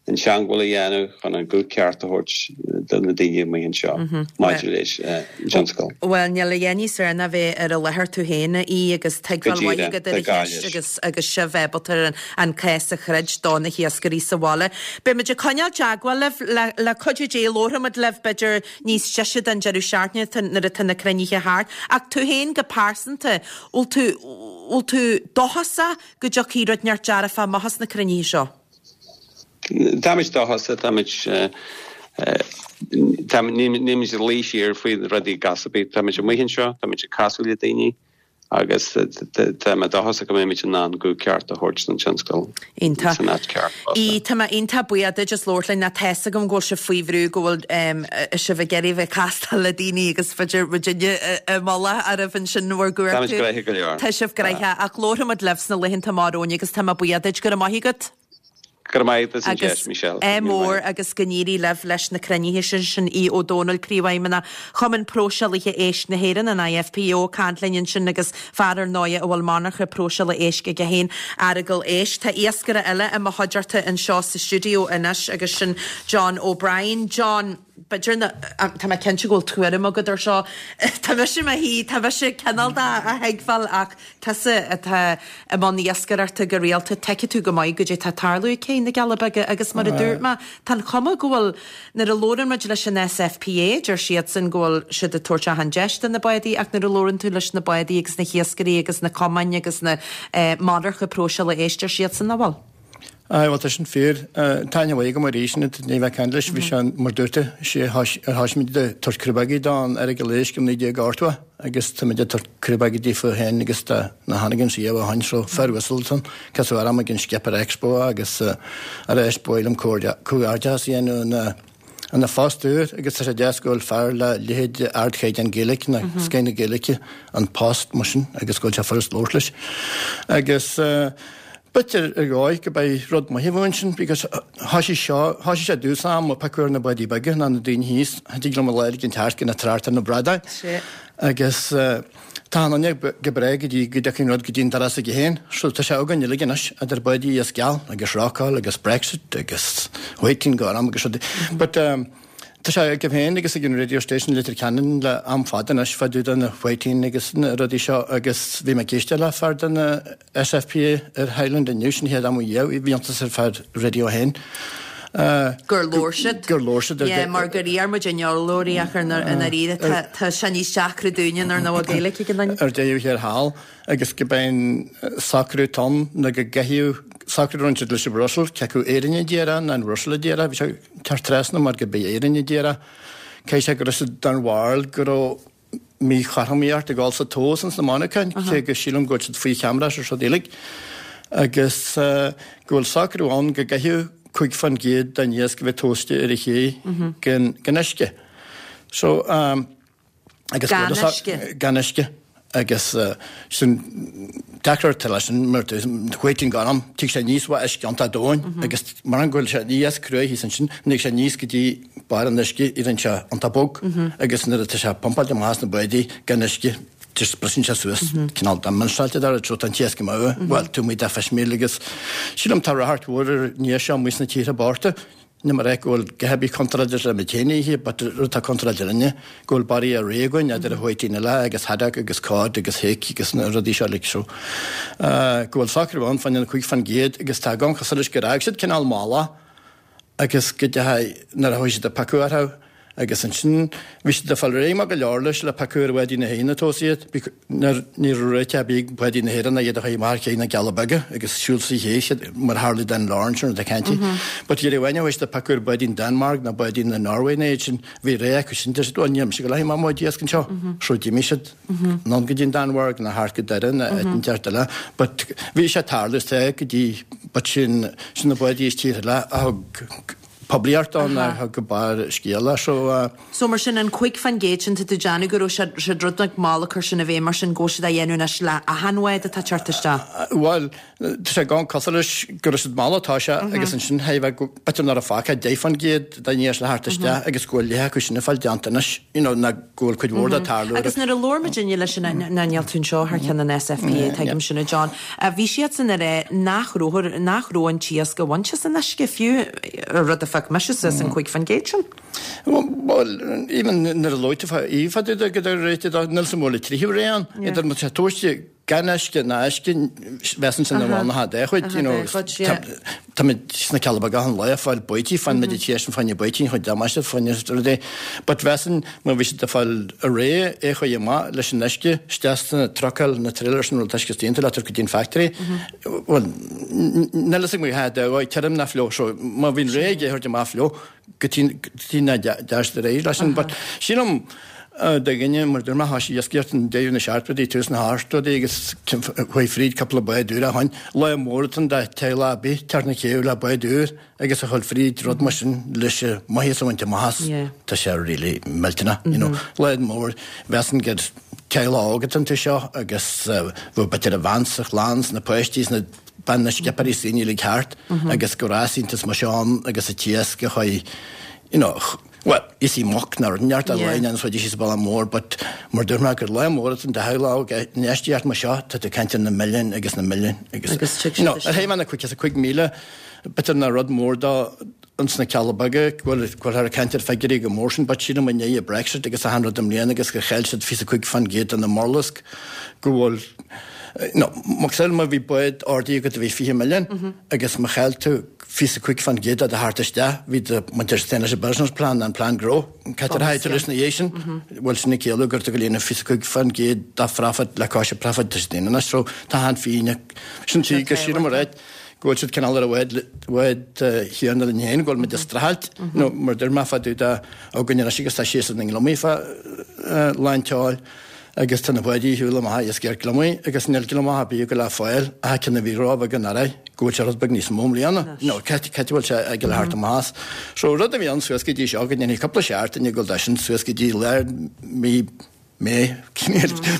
an teagmháil a dhéanamh, chun an guth ceart a thabhairt do na daoine amuigh anseo maidir leis an tionscal. Bhuel, níl a dhath níos fearr ná bheith ar an láthair tú féin, a Aoidh, agus tuigbheáil mhaith agat ar an cheist agus agus sibh ábalta an cás a throid do na hiascairí sa bhaile. Beidh muid ag coinneáil teagmháil libh le le cuidiú Dé labharfaidh muid libh b'fhéidir níos deise den deireadh seachtaine nuair atá na cruinnithe thart. Ach tú féin go pearsanta, bhfuil tú bhfuil tú dóchasach go dtiocfaidh rud inteacht dearfach amach as na cruinnithe seo? Táimid dóchasach, táimid, nílimid ag luí siar faoi rudaí go bith, táimid amuigh anseo, táimid ag casadh le daoine Agus tá mé dóchasach go mbeimid in ann guth ceart a thabhairt don tionscal Iontach. san áit ceart fosta. Í, tá mé iontach buíoch duit as labhairt linn ná tá's agam go bhfuil sibh faoi bhrú go bhfuil um, sibh ag iarraidh bheith castáil le daoine agus b'fhéidir muidinne i mullach oraibh ansin bhur Táimid gcuartú. gnoitheach go leor. Tá sibh gnoitheach ach labharfaimid libh sna laethanta amach romhainn agus tá mé buíoch duit go raibh maith agat. Go raibh maith agat as an Agus deis, Michelle. é mór agus go n-éirí libh leis na cruinnithe sin sin Aodh Ó Dónaill Príomhfheidhmeannach Chumann Próiseálaithe Éisc na hÉireann an IFPO caint linn ansin agus fear ar ndóigh a bhfuil monarcha próiseála éisc aige féin Earagail Éisc. Tá iascaire eile i mo chuideachta anseo sa stiúideo anois agus sin John O'Brien. John, b'fhéidir na tá mé cinnte go bhfuil tuairim agat ar seo Tá mise mo shuí tá mise cineál de a thuigbheáil ach tusa atá i mbun iascaireachta go rialta tuigeann tú go maith goidé tá tarlú cé na Cealla Beaga agus mar a dúirt mé tá an chuma go bhfuil nuair a labhrann muid leis an SFPA deir siadsan go bhfuil siad ag tabhairt achan deis do na bádaí ach nuair a labhrann tú leis na bádaí agus na hiascairí agus na cumainn agus na eh, monarcha próiseála éisc deir siadsan nach bhfuil. Ai bhuel tá sin fíor Táine go mar sin ní bheith cean leis bhí sé mar dúirte sé ar tháismid de tabhairt criobaigí don Earagail Éisc naoi déag ochtó agus tá de tabhairt criobaigí díofa féin agus tá na hanagan sí a hain so fear Whistleton cos am ag an Skipper Expo agus ar éis builam comhghairdeas a dhéanamh na an na fostúr agus tá sé deas go bhfuil fear le leithéid ardchaighdeán Gaeilge na scéine Gaeilge an post mar sin agus go bhfuil sé furast labhairt leis. Agus uh, B'fhéidir ar dhóigh go beidh rud maith bhain sin, because thá sé seo thá sé dús am ó picúir na báidí beaga ná na daoine thíos, thig liom a léir an teart go na trácht ar na bradáin. Agus uh, tá an go breá go dtí go dtiocfaidh rud go dtí an doras aige féin, so tá sé againn uilig anois idir báidí is geal agus rácáil agus Brexit agus whiting gorm agus rudaí. But um, Tá sé ag féin agus ag an radio station Leitir Ceanainn le am fada anois fá dtaobh den whiting agus na rudaí seo agus bhí mé ag éisteacht le fear den SFPA ar Highland inniu sin chéad am dhíobh bhí iontas ar fear radio féin. Gur labhair siad. Gur labhair siad. Yeah, mar gur iar muid an eolóirí ach ar an ríad tá sé níos deacra dúinne ar ná Gaeilge ag an duine. Ar deireadh thiar thall agus go beinn socrú tom na go gcehiú socrú run siad leis an Brussels ceacu Éirinn a d'iarraidh ná an Brussels a d'iarraidh bhí sé tar trasna mar go b'é Éirinn a d'iarraidh cé sé go raibh siad den bharúil go raibh míchothromaíocht ag dul sa tomhas ins na monarchana cé go sílim go bhfuil siad faoi cheamara ar siad uilig agus go bhfuil socrú ann go gcaithfidh cúig faoin gcéad den iasc a bheith tomhaiste ar a ché gan gan uisce. So um, agus Gan uisce. Gan uisce agus uh, sin deacair leis sin mar whiting gorm tig sé níos bha uisce iontach domhain agus mar an bhfuil sé níos cruaidh thíos ansin ní sé níos go dtí barr an uisce idir sé iontach bog agus nuair atá sé pumpáilte amach as na báidí gan uisce just briseann sé suas cineál demonstráilte dar so tá an t-iasc amú well tú muid fish meal agus sílim tá ráthart mhór ar ní seo muis na tíortha bochta Ní mar é go bhfuil go contráilte le mé féin but rud tá contráilte linne go bhfuil barraí a réagainn idir a whiting eile agus haddock agus cod agus hake agus na rudaí seo like so. Uh, go bhfuil socrú ann fan na cúig faoin gcéad agus tá gan cosúil leis gur fhág siad cineál mála agus go dechaidh nuair a chuaigh siad a piocadh orthu agus ansin bhí siad ag fáil réidh mar go leor leis le piocadh ar bháidí na hÉireann a tomhas iad nuair ní raibh réiteach ar bith ag báidí na hÉireann iad a chuaigh amach cé na Cealla Beaga agus siúl sa ché siad mar tharla den Lawrence ar na caintí. But iar bhaine bhí siad piocadh ar bháidí Denmark na báidí na Norway na iad sin bhí ré acu sin deir siad "Ó, níl mise go leith má iasc anseo. So d'imigh siad anonn go dtí an Danmhairg na thart go Doire na an deart eile. But bhí sé tarlú te go dtí but sin sin na báidí is tíortha eile a thug poiblíocht ann a thug go barr scéala so uh, So mar sin an cúig faoin gcéad sin tá tú déanamh go raibh siad siad rud nach mall cur sin a bheith mar sin go bhfuil siad á dhéanamh anois le achan bhád atá teacht isteach. Well, tá sé gan cosúil leis go raibh siad mall atá sé agus ansin bheith b'fhéidir nar a fágtha deich faoin gcéad den iasc le thart isteach agus go bhfuil leithe acu sin ag fáil déanta anois, you know, na go bhfuil cuid mhór de tarlú. Agus nuair a labhair muid inniu leis an na níl tú anseo thar ceann an SFPA tuigim sin a John, a bhí siad san ar nach raibh nach raibh an t-iasc a bhaint as an uisce fiú rud a phioc mise suas an cúig faoin gcéad sin. Well, even nuair a luaite í fad go réite níl sa mór le tríú réan, idir má sé tomhaiste gan uisce ná uisce bhean sin amháin na dé chuid, you know, tá muid sna Cealla Beaga an lá fáil baoití fan muid tíis an fáinne baoití chun damáiste fáinne rudaí. But bhean má bhí siad ag fáil a ré é chuid amach leis an uisce isteach sna trucail na trailers an rud uisce déanta le go dtí an factory. Well, níl a fhios agam ha de tirim na fliuch so má bhíonn ré ag thabhairt amach fliuch go tí na deas de réir leis sin, but sílim do dhuine mar dúirt mé thoisigh iascaireacht i ndeireadh na seachtóidí tús na hochtóidí agus chuaigh fríd cúpla bád úr a shoin lá mór atá ann do teaghlach ar bith teacht na céibhe le bád úr agus a dhul fríd rud mar sin leis an maitheas a bhaint amach as tá sé really millteanach you know lá mór mheasainn gur teaghlach óg atá iontu seo agus bheadh b'fhéidir an bhean 's an chlann 's na páistí 's na bean na scipéirí 's daoine uilig thart agus go raibh iontas mar seo ann agus an t-iasc a chuaigh you know, bhuel, is í muc ná rud neart a lein an chuid is baile mór, but mar dúirt mé gur lá mór atá ann do theaghlach óg infheistíocht mar seo, tá tú ag caint ar na milliúin agus na milliúin agus, Agus tig you know, siad ar thaobh na cuid is a cuig míle, b'fhéidir nach rud mór do ins na Cealla Beaga, go bhfuil go bhfuil ag caint ar figiúirí go mór sin, but sílim i ndiaidh Brexit agus achan rud i mbliana agus gur chaill siad fiche cúig fan gcéad de na murlasc go bhfuil no, macasamhail má bhí bád ordaithe agat a bhí fiche milliún agus má chaill tú fiche cúig fan gcéad de theacht isteach, bhí do muintir Stainless Business Plan an plean gnó, cad ar thaithe leis na dhiaidh sin, bhfuil sin ag ciallú gur go líonadh fiche cúig fan gcéad de phrofit le cois profit de daoine anois, so tá an fírinne sin tí go sílim ar aghaidh go bhfuil siad cineál ar a bhfad bhfad chéanna linn féin, go bhfuil muid ag streachailt, nó mar dúirt mé fá dtaobh de againn anois agus tá séasúr na ngliomaigh fá lán tseoil agus tá na báidí ar shiúl amach ag iascaireacht gliomaigh agus níl gliomach ar bith ag goil le fáil ach ceann a bhí róbheag anuraidh go bhfuil sé rud beag níos mó i mbliana. No, cé cé bhfuil sé ag goil thart amach as. So rud a bhí ann suas go dtí seo go ndéanfaidh cúpla seachtain ag goil de sin suas go dtí lár mí May,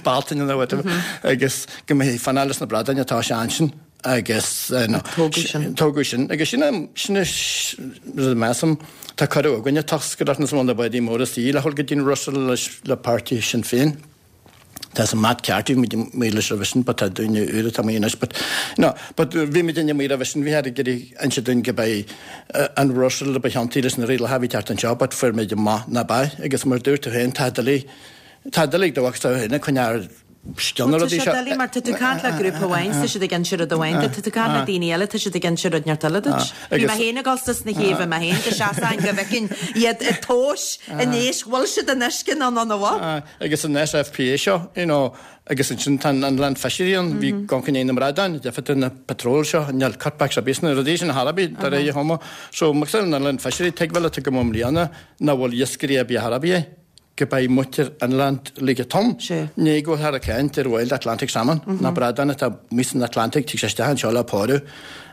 Bealtaine nó whatever, agus go mbeidh fanacht leis na bradáin atá sé ansin agus no, Tógadh sin. Tógadh sin. Agus sin sin rud a measaim tá cuireadh againne toscaireacht na na báidí móra istigh le dhul go dtí an Russell leis le páirtí Sinn Féin. Tá san Matt Carthy bhí muid leis roimhe sin, but tá duine úr atá amuigh anois, but no, but bhí muid amuigh roimhe sin, bhí ag iarraidh inse dúinn go beidh an Russell a ba cheantaí leis na rialacha a bhí teacht anseo, but fuair muid amach ná beidh, agus mar dúirt tú féin, tá doiligh tá doiligh do bhacsa féin coinneáil scian na Tá rudaí sé seo. doiligh mar tá tú ag caint le grúpa amháin, tá siad ag inse rud amháin duit, tá tú ag caint le daoine eile, tá siad ag inse rud neart eile duit. Bhí mé féin ag dul suas na céibhe mé féin go seasáin go bhfeicfinn iad ag tomhas anois, bhfuil siad in uisce nó nó bhfuil? Agus an SFPA seo, you know, agus ansin tá an inland fishery ann, bhí gan cinn na mbradáin, deifir na patrol seo, níl cutbacks ar bith sna rudaí sin thar bith, de réir chuma. So macasamhail an inland fishery, tuigbheáil atá go i mbliana nach bhfuil iascairí ar bith thar bith. go beidh muintir inland lige tom. Ní go bhfuil thar a caint ar Wild Atlantic Salmon, na bradáin atá amuigh san Atlantic, tig sé isteach anseo le pórú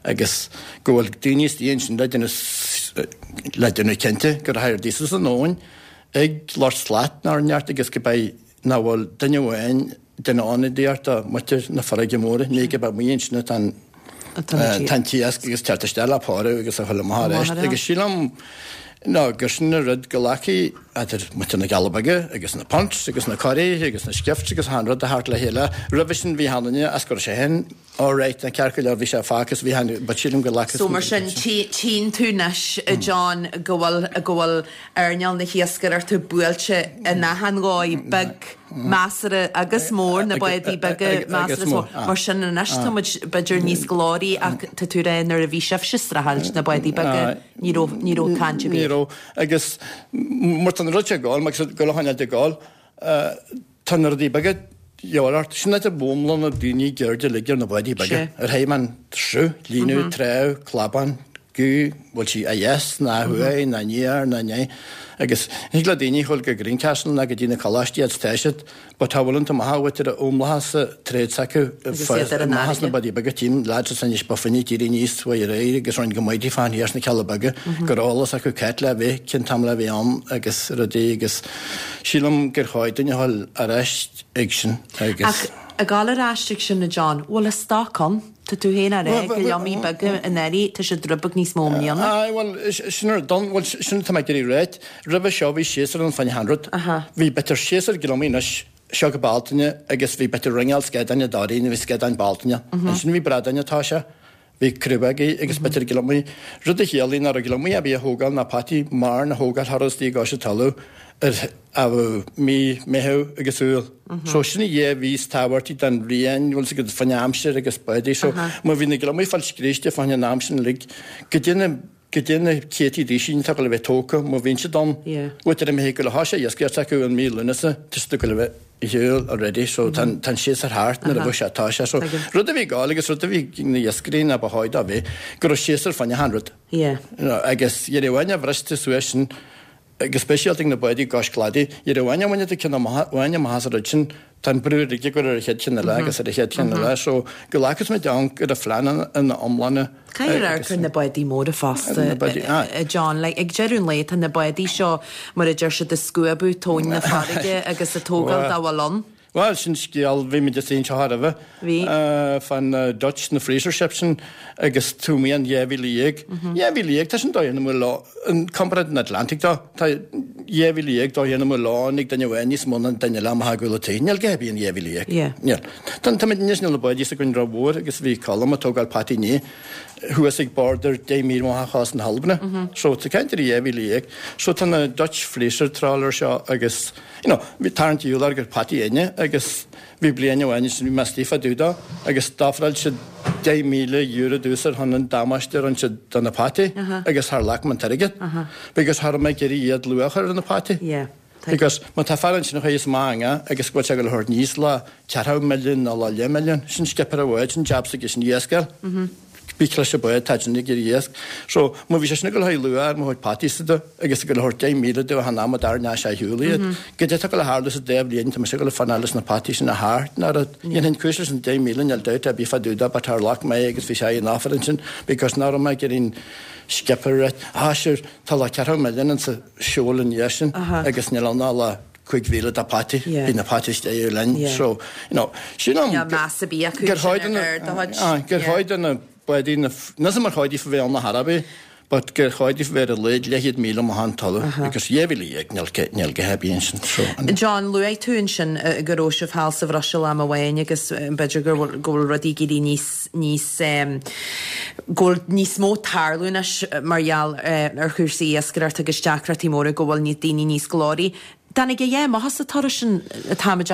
agus go bhfuil daoine istigh ansin le déanamh le déanamh cinnte gur thair díosas an abhainn ag lucht slat nár neart agus go beidh nach bhfuil duine amháin duine ionadaíocht do muintir na farraige móire, ní go beidh amuigh ansin atá an tá an t-iasc agus teacht isteach le pórú agus a chuile amach arís. Agus sílim ná gur sin an rud go leacaí idir muintir na gCealla Beaga agus na punts agus na coirí agus na skiffs agus achan rud a theacht le chéile. Roimhe sin bhí achan duine as go raibh sé féin all right na ceart go leor bhí sé fágtha agus bhí achan but sílim go leacaí So mar sin tchíonn tú anois a John go bhfuil go bhfuil earnáil na hiascaireachta buailte in achan dhóigh beag measartha agus mór na báidí beaga measartha is mór. Mar sin anois tá muid b'fhéidir níos glóraí ach tá tú rá nuair a bhí sibhse ag streachailt na báidí beaga ní raibh ní raibh caint ar Ní bith. raibh agus mar tá na rudaí ag gabháil agus go le de gabháil tá na rudaí beaga gheobhaidh sin idir bhúmla na daoine geirde uilig ar na báidí beaga. Ar thaobh an sruth, líonadh, treabh, clabán, gú, bhfuil sí a dheas ná thuaidh ná aniar ná né. Agus thig le daoine dhul go Greencastle ná go dtí na coláistí fhad is tá siad, but tá bhfuil an maith bhfuil ar umlathas sa tréad s'acu Agus iad ar an maithas na fharraige. báidí beaga tím lads is anois ba finní tírí níos uaidh aréir agus roinn go maidí fán thiar sna Cealla Beaga gur eolas acu cét le bheith cén t-am le bheith ann agus rudaí agus sílim gur chóir duine a dhul ar ais ag sin agus Ach ag dul ar ais ag sin a John, bhfuil a stoc ann? Tá tú féin ar Well, go leamaí beaga in airí tá siad rud beag níos mó i mbliana. Aye, well, sin ar don, well, sin tá mé ag iarraidh ráit. Roimhe seo bhí séasúr ann fán achan rud. Bhí b'fhéidir séasúr gliomaigh anois seo go Bealtaine agus bhí b'fhéidir ringeáil scadáin dáiríre, bhí scadáin Bealtaine. Ansin bhí bradáin atá sé, bhí crúbógaí agus b'fhéidir gliomaigh. Rud a chiallaigh nach raibh gliomaigh a bhí a thógáil ná peataí marbh a thógáil thar os dtí gcois an talamh ar a mí Meitheamh agus Iúil. So sin a dhá mhí is tábhachtaí don bhliain, bhfuil siad faoin aimsir agus báidí. So má bhí na gliomaigh fáil scríste fán an am sin uilig, go dtí na go dtí na céadtaí daoine atá le bheith tógtha, má bhíonn siad ann, bhfuil ar imithe go le háis iascaireacht acu an mí Lúnasa, tá siad go le bheith ar shiúl already, so tá an séasúr thart nuair a bheadh sé tá sé. So rud a bhí ag gabháil agus rud a bhí na iascairí ná ba chóir dó bheith, go raibh séasúr fán achan rud. Yeah. You know, agus dhera amháin a bhris tú suas sin go speisialta ag na báidí cois cladaigh, iar bhain bhain tú ceann amach bhain amach as an rud sin, tá an brú uilig ag cur ar an chéad cheann eile agus ar an chéad cheann eile, so go bhfacthas muid ann go raibh phlean ina iomláine. Caithfidh amharc ar na báidí móra fosta, Na báidí, aye. a John, like, ag deireadh an lae tá na báidí seo, mar a deir siad, ag scuabadh tóin na farraige agus ag tógáil dá bhfuil ann. Bhuel, sin scéal, bhí muid istigh anseo roimhe. Bhí. Fan Dutch, na freezer ships sin agus tuamaí an dhá mhíle dhéag. Dhá mhíle dhéag, tá sin dóigh na lá, in comparáid an Atlantic dó, tá dhá mhíle dhéag dóigh na lá ag duine amháin níos mó ná duine eile amach ag gabháil taobh. Níl gá bíonn dhá mhíle dhéag. Yeah. Níl. Tá tá muid anois níl na báidí s'againn rómhór agus bhí Colm ag tógáil pataí inné thuas ag border deich míle amach as na hAlbana. So tá caint ar dhá mhíle dhéag. So tá na Dutch freezer trawler seo agus you know, bhí tarraingt úlar gur pataí inne agus bhí bliain amháin sin bhí mé istigh fá dtaobh dó agus d'ofráil siad deich míle euro domhsa ar shon an damáiste a rinne siad do na pataí agus char ghlac mé an t-airgead because cha raibh mé ag iarraidh iad luach a chur ar na pataí. Yeah. Because má tá fear ansin a chuaigh amach anga agus go bhfuil sé ag dul a thabhairt níos le ceathracha milliún nó le leath milliún, sin skipper a bháid, sin jab s'aige sin iasc. Bí cloiste báid tá sin ag iarraidh iasc. So má bhí sé sin ag dul le luach ar mo chuid pataí sa do agus ag dul a thabhairt deich míle domh chan am a dar ná sé shiúl iad. Go dtí tá go le tharlú sa dá bhliain tá mise ag dul a fanacht leis na pataí sin a thart ná rud. Dhéanfainn cúis leis an deich míle níl dabht ar bith fá dtaobh de but char ghlac mé agus bhí sé in offer ansin because ná raibh mé ag iarraidh skipper reit. Ah sure tá le ceathracha milliún insa seol an dhiaidh sin agus níl ann ná le cúig mhíle de pataí. Yeah. Bhí na pataí istigh linn. Yeah. So you know, sin am Níl meas ar bith acu gur sin chóir do na- ar do chuid. Ah, gur Yeah. chóir do na báidí na níl mar chóir daofa bheith ann na hArabaí, but gur chóir daofa bheith ar a laghad leathchéad míle amach an talamh because dhá mhíle dhéag níl ce- níl go happy ansin. So, an- John, luaigh tú ansin eh, go raibh sibh thall sa Bhruiséil am amháin agus eh, b'fhéidir go bhfuil go bhfuil rudaí ag éirí níos níos um, go bhfuil níos mó tarlú anois eh, mar gheall eh, ar chúrsaí iascaireachta agus deacrachtaí móra go bhfuil ní daoine níos glóraí. Dánig é maith sa turas sin táid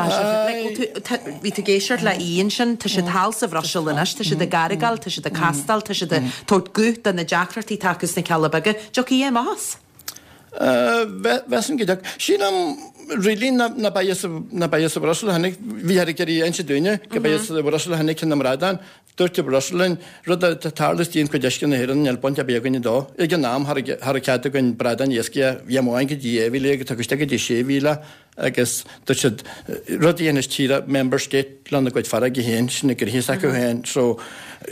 Bhí tú ag éisteacht le Ian sin, tá siad thall sa Bhruiséil anois, tá siad ag gargáil, tá siad ag castáil, tá siad ag tabhairt guth do na deacrachtaí atá acu sna Cealla Beaga. Dtiocfaidh é maitheas? Mheasaim go dtiocfaidh. Sílim really na na beidh sa na beidh sa Bhruiséil tháinig bhí ar ag iarraidh inse dúinne go beidh sa Bhruiséil tháinig na mbradán dúirt Brussel linn rud a tharla istigh in cuid uisce na hÉireann níl baint ar bith againne dó. Ag an am thar thar cead againn bradán iascaigh bhí amháin go dtí dhá mhíle agus tá isteach go dtí sé mhíle agus dúirt siad rud a dhéanann tíre member state lena gcuid farraige féin sin na gnoithe s'acu féin so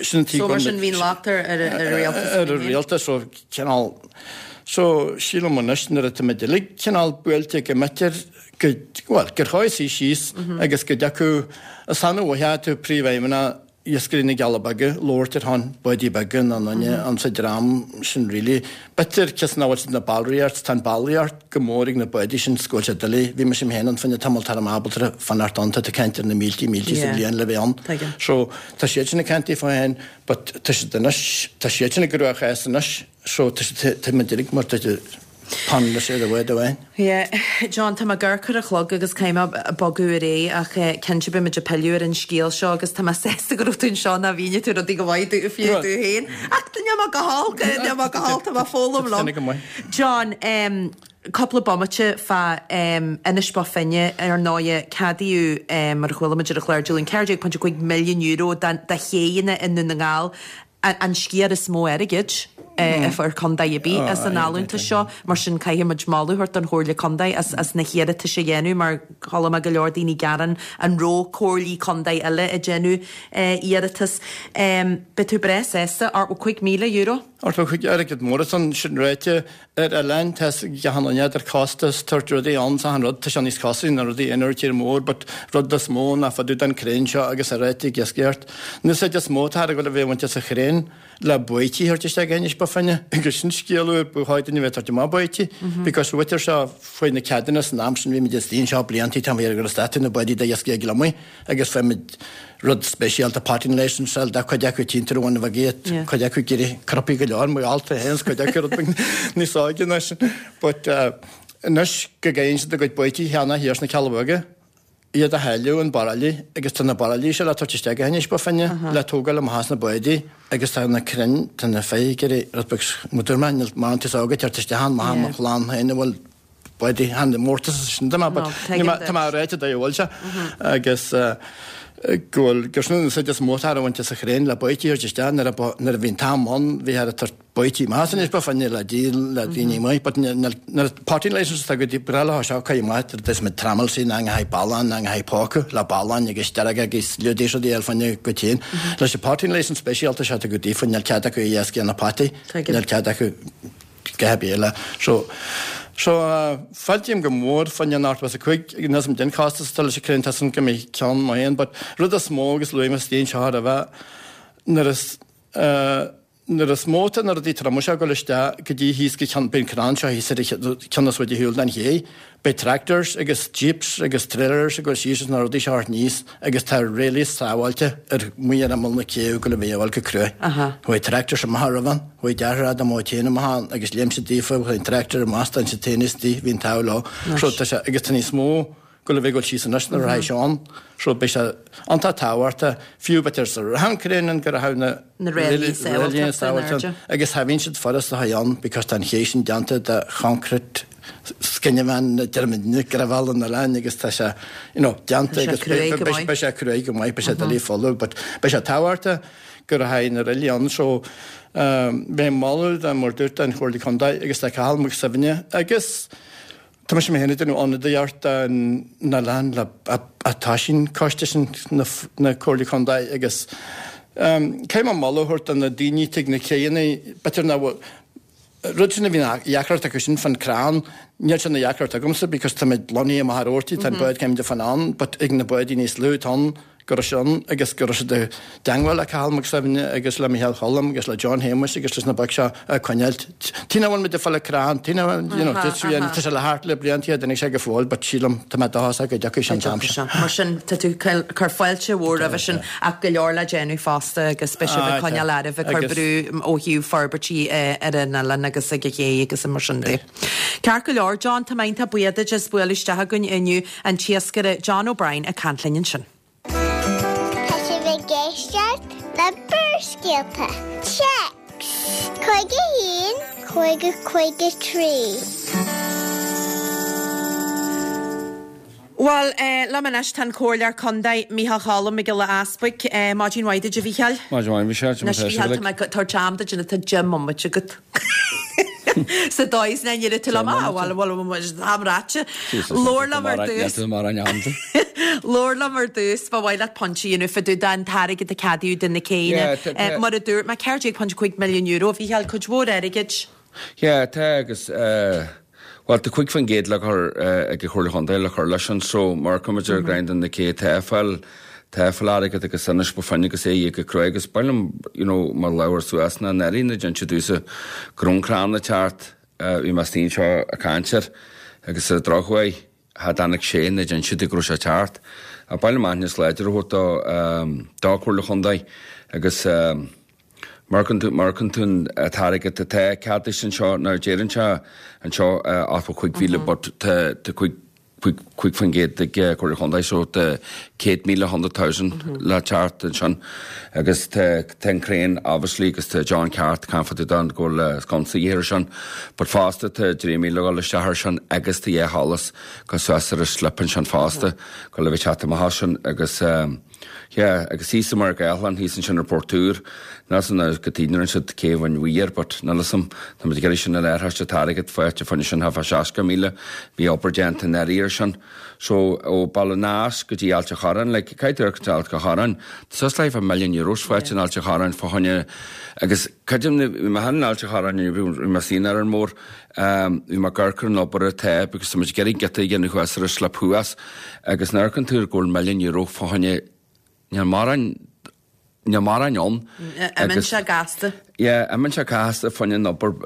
sin an So mar sin bhíonn locht ar ar ar rialtas ar an rialtas so cineál so sílim anois nuair atá muid uilig cineál buailte go mb'fhéidir go well gur chóir suí síos agus go dtiocfadh is annamh uaithe tú príomhfheidhmeannach iascairí na gCealla Beaga labhairt ar shon báidí beaga ná duine an sa dream sin really. B'fhéidir cos nach bhfuil siad na ballraíocht tá an ballraíocht go mór ag na báidí sin go bhfuil siad doiligh. Bhí mise féin ann fá choinne tamall tar am ábalta fanacht ann tá tú ag caint ar na míltí míltí sa Yeah. bhliain le bheith ann. Tuigim. So tá siad sin ag caint fá féin but tá siad anois tá siad sin ag gcruachás anois so tá siad tá muid uilig mar tá pan leis ar a bhfuil amháin. Yeah. John, tá mé gar ar a chlog agus caithfidh mé bogadh ar aghaidh ach eh, cinnte beidh muid ag pilleadh ar an scéal seo agus tá mé sásta go raibh tú anseo ná mhínigh tú rudaí go mhaith dú fiú tú féin. Ach níl mé go holc, níl mé go holc, tá mé foghlaim liom. Tá go maith. John, um, cúpla bomaite fá um, Inis Bó Finne ar ndóigh ceadaíodh um, mar a chuala muid ar an chlár Dé Luain ceathair déag pointe cúig milliún euro do chéanna i nDún na nGall an, an sciar is mó airgid eh, a fuair contae ar bith as an allúntas seo, mar sin caithfidh muid moladh a thabhairt don Chomhairle Contae as, as na hiarratais a dhéanamh mar chuala mé go leor daoine gearán an raibh comhairlí contae eile ag déanamh eh, iarratas. Um, Beidh tú breá sásta ochtó cúig míle euro? Ochtó cúig airgead mór san sin ráite ar oileán tá gachan duine ar costas tabhairt rudaí ann sa rud tá sé níos costaí ná rudaí in ar tír mór, but rud is mó ná fadú den crainn seo agus a réite iascaireacht. An úsáid is mó tá go bhfuil a bheith bainte sa chrainn le baoití a thabhairt isteach Inis Bó Finne agus sin scéal úr ba chóir duine bheith tabhairt amach baoití because bhfuiltear seo faoi na ceadúnas san am sin bhí muid istigh anseo blianta tá mé ar statu na baoití de iascaigh ag gliomaigh agus fuair muid rud speisialta potting license da cuid acu timpeall bhain bheith Yeah. cuid acu ag iarraidh cnaipí go leor mar alta héans cuid acu rud beag níos óige ná sin. But uh, anois go gcaitheann siad a gcuid baoití cheana thiar sna Cealla Beaga, iad a shailleadh an baraillí agus tá na baraillí seo le tabhairt isteach go hInis Bó Finne le tógáil amach as na báidí agus tá na crainn tá na feithiclí ag iarraidh rud beag mar mar níl mar an tús óga teacht isteach ann maith Yeah. mo chlann féin a bhfuil báidí han mórtas sin de No, but tuigim tá duit. má réite a bhfuil sé agus uh, go bhfuil gur sin an úsáid is mó atá ar bhaint as an chraein le baoití a thabhairt isteach nuair a nuair a bhí an t-am ann bhí ar tabhairt baoití amach anois ba fá choinne le díol le daoine amuigh but nuair potting licence atá go dtí breá leo seo caith amach tar is muid trammel sí ná haghaidh ballán ná haghaidh póca le balláin agus dearg agus liúdaí rudaí eile fá choinne go téann leis an potting licence speisialta seo atá go dtí níl cead acu iasc na potaí níl cead acu go béile. So so fáiltím go mór fá choinne an ochtó is a cúig níl 'fhios a'm cén costas atá leis an crainn tá san go mbeidh ceann maith ann but rud is mó agus luaigh mé istigh anseo roimhe nuair is nuair is mó tá na rudaí troma seo ag dul isteach go dtí thíos go ceann bíonn crann seo thíos ar an ceann is faide shiúl den ché beidh tractors agus jeeps agus trailers ag dul síos is na rudaí seo thart aníos agus tá ráillí sábháilte ar amuigh ar imeall na cé go bhfuil a bheith go cruaidh. Chuaigh tractors amach roimh an, chuaigh deartháir Adam Ó Téin amach ann agus léim siad daofa, chuaigh an tractor amach, d'fhan siad féin istigh, bhí an t-ádh leo. So tá sé, agus tá níos mó go le bheith ag dul síos anois nuair a raghaidh sé ann. So beidh sé iontach tábhachtach, fiú b'fhéidir sa rath crainn an go raibh na Na ráillí sábháilte in airde. Agus cha bhíonn siad furasta a ann because tá an ché sin déanta de choncrete scinneamhain deirimidne gravel an oileáin agus tá sé you know déanta agus beidh sé cruaidh go maith, beidh sé doiligh folamh but beidh sé tábhachtach go rachaidh na ráillí ann so beidh moladh dá mar dúirt an Chomhairle Contae agus le Cathal Mac Suibhne agus tá mise mé féin ag déanamh ionadaíocht don oileán le atá sin coiste sin na Comhairle Contae agus caithfidh mé moladh a thabhairt do na daoine tigh na céanna b'fhéidir nach bhfuil rud sin a bhí ina dheacracht acu sin fan crann, níl sé ina dheacracht agamsa because tá muid lonnaithe amach ar Ortaigh, tá an bád céim de fan ann, but ag na bádaí níos lú atá ann go raibh sé ann agus go raibh siad i dteangmháil le Cathal Mac Suibhne agus le Micheál Choilm agus le John Shéamuis agus leis na boic seo a coinneáilt. Tí nach bhfuil muid ag fáil crann, tí nach bhfuil, you know, tá sé le thart le blianta, d'imigh sé go fóill but sílim, tá mé dóchasach go dtiocfaidh sé an t-am sin. Mar sin, tá tú ag cur fáilte mhór roimhe sin ach go leor le déanamh fosta agus beidh sibh ag coinneáil oraibh ag cur brú ó thaobh forbairtí ar an oileán agus ag an ché agus mar sin de. Ceart go leor, John, tá mé iontach buíoch duit as bualadh isteach againn inniu, an t-iascaire John O'Brien ag caint linn ansin. Tá sibh ag éisteacht le Barrscéalta. Téacs cúig a haon, cúig a cúig a trí. Bhuel, liom anois tá an Comhairleoir Contae, Micheál Choilm Mac Giolla Easbuig. Maidin mhaith duit, a Mhícheáil. Maidin mhaith, Michelle. Anois, Mhícheáil, tá mé ag tabhairt am duit nó tá deich mbomaite agat. Sa dóigh is nach ndéarfaidh tú liom, ah, bhuel, bhuel, bhuel, am ráite. Labhair liom ar dtús. Labhair liom ar dtús, ba mhaith leat pointe a dhéanamh fá dtaobh den t-airgead a ceadaíodh do na céanna. Mar a dúirt mé, ceathair déag ponc cúig milliún euro, a Mhícheáil, cuid mhór airgid. Yeah, tá agus, bhuel, tá cúig faoin gcéad le cur ag an Chomhairle Chontae le cur leis an so mar cuimid ar grind na cé tá fáil, tá fáil airgead agus anois ba fine agus é go cruaidh agus b'áil liom, you know, mar labhair suas na n-airí na dtéann siad domhsa go raibh an crann ag teacht, bhí mé istigh anseo ag caint air agus ar an drochuair cha dtáinig sé na dtéann siad go raibh sé ag teacht. B'áil liom aithne láidir a thabhairt do, do Chomhairle Chontae agus, Amharcann tú, amharcann tú an t-airgead atá ceadaithe anseo, now deireann sé anseo ochtó cúig mhíle but tá tá cúig cúig cúig faoin gcéad ag Comhairle Chontae so tá céad míle hundred thousand le teacht ansin agus tá tá an craein obviously agus tá John Ceart caint fá dtaobh de go bhfuil sconsa a dhíth air sin but fosta tá trí míle a dhul isteach air sin agus tá dhá sholas go suas ar an slip ansin fosta go le bheith teacht amach as sin agus Yeah, agus thíos i mBarr Gathlán, thíos ansin ar Port Úr, níl 'fhios a'm cad chuige nár rinne siad cé Bhain Bhuí air, but níl 'fhios a'm, tá muid ag iarraidh sin a léirtheist an t-airgead faighte fá choinne sin thart fá seasca míle, bhí obair déanta anuraidh air sin. So, ó Baile an Eas go dtí Ailt a' Chorráin, like, caithfidh tú amharc Ailt a' Chorráin, tá suas le half a million euros faighte in Ailt a' Chorráin fá choinne, agus creidim, bhí mé in Ailt a' Chorráin, bhí mé istigh in Árainn Mhór, Bhí mé ag amharc ar an obair atá because tá muid ag iarraidh giota a dhéanamh thuas ar an slip thuas agus nuair a amharcann tú go bhfuil milliún euro fá choinne níl mórán níl mórán ann Imíonn sé gasta. Yeah, imíonn sé gasta fá choinne an obair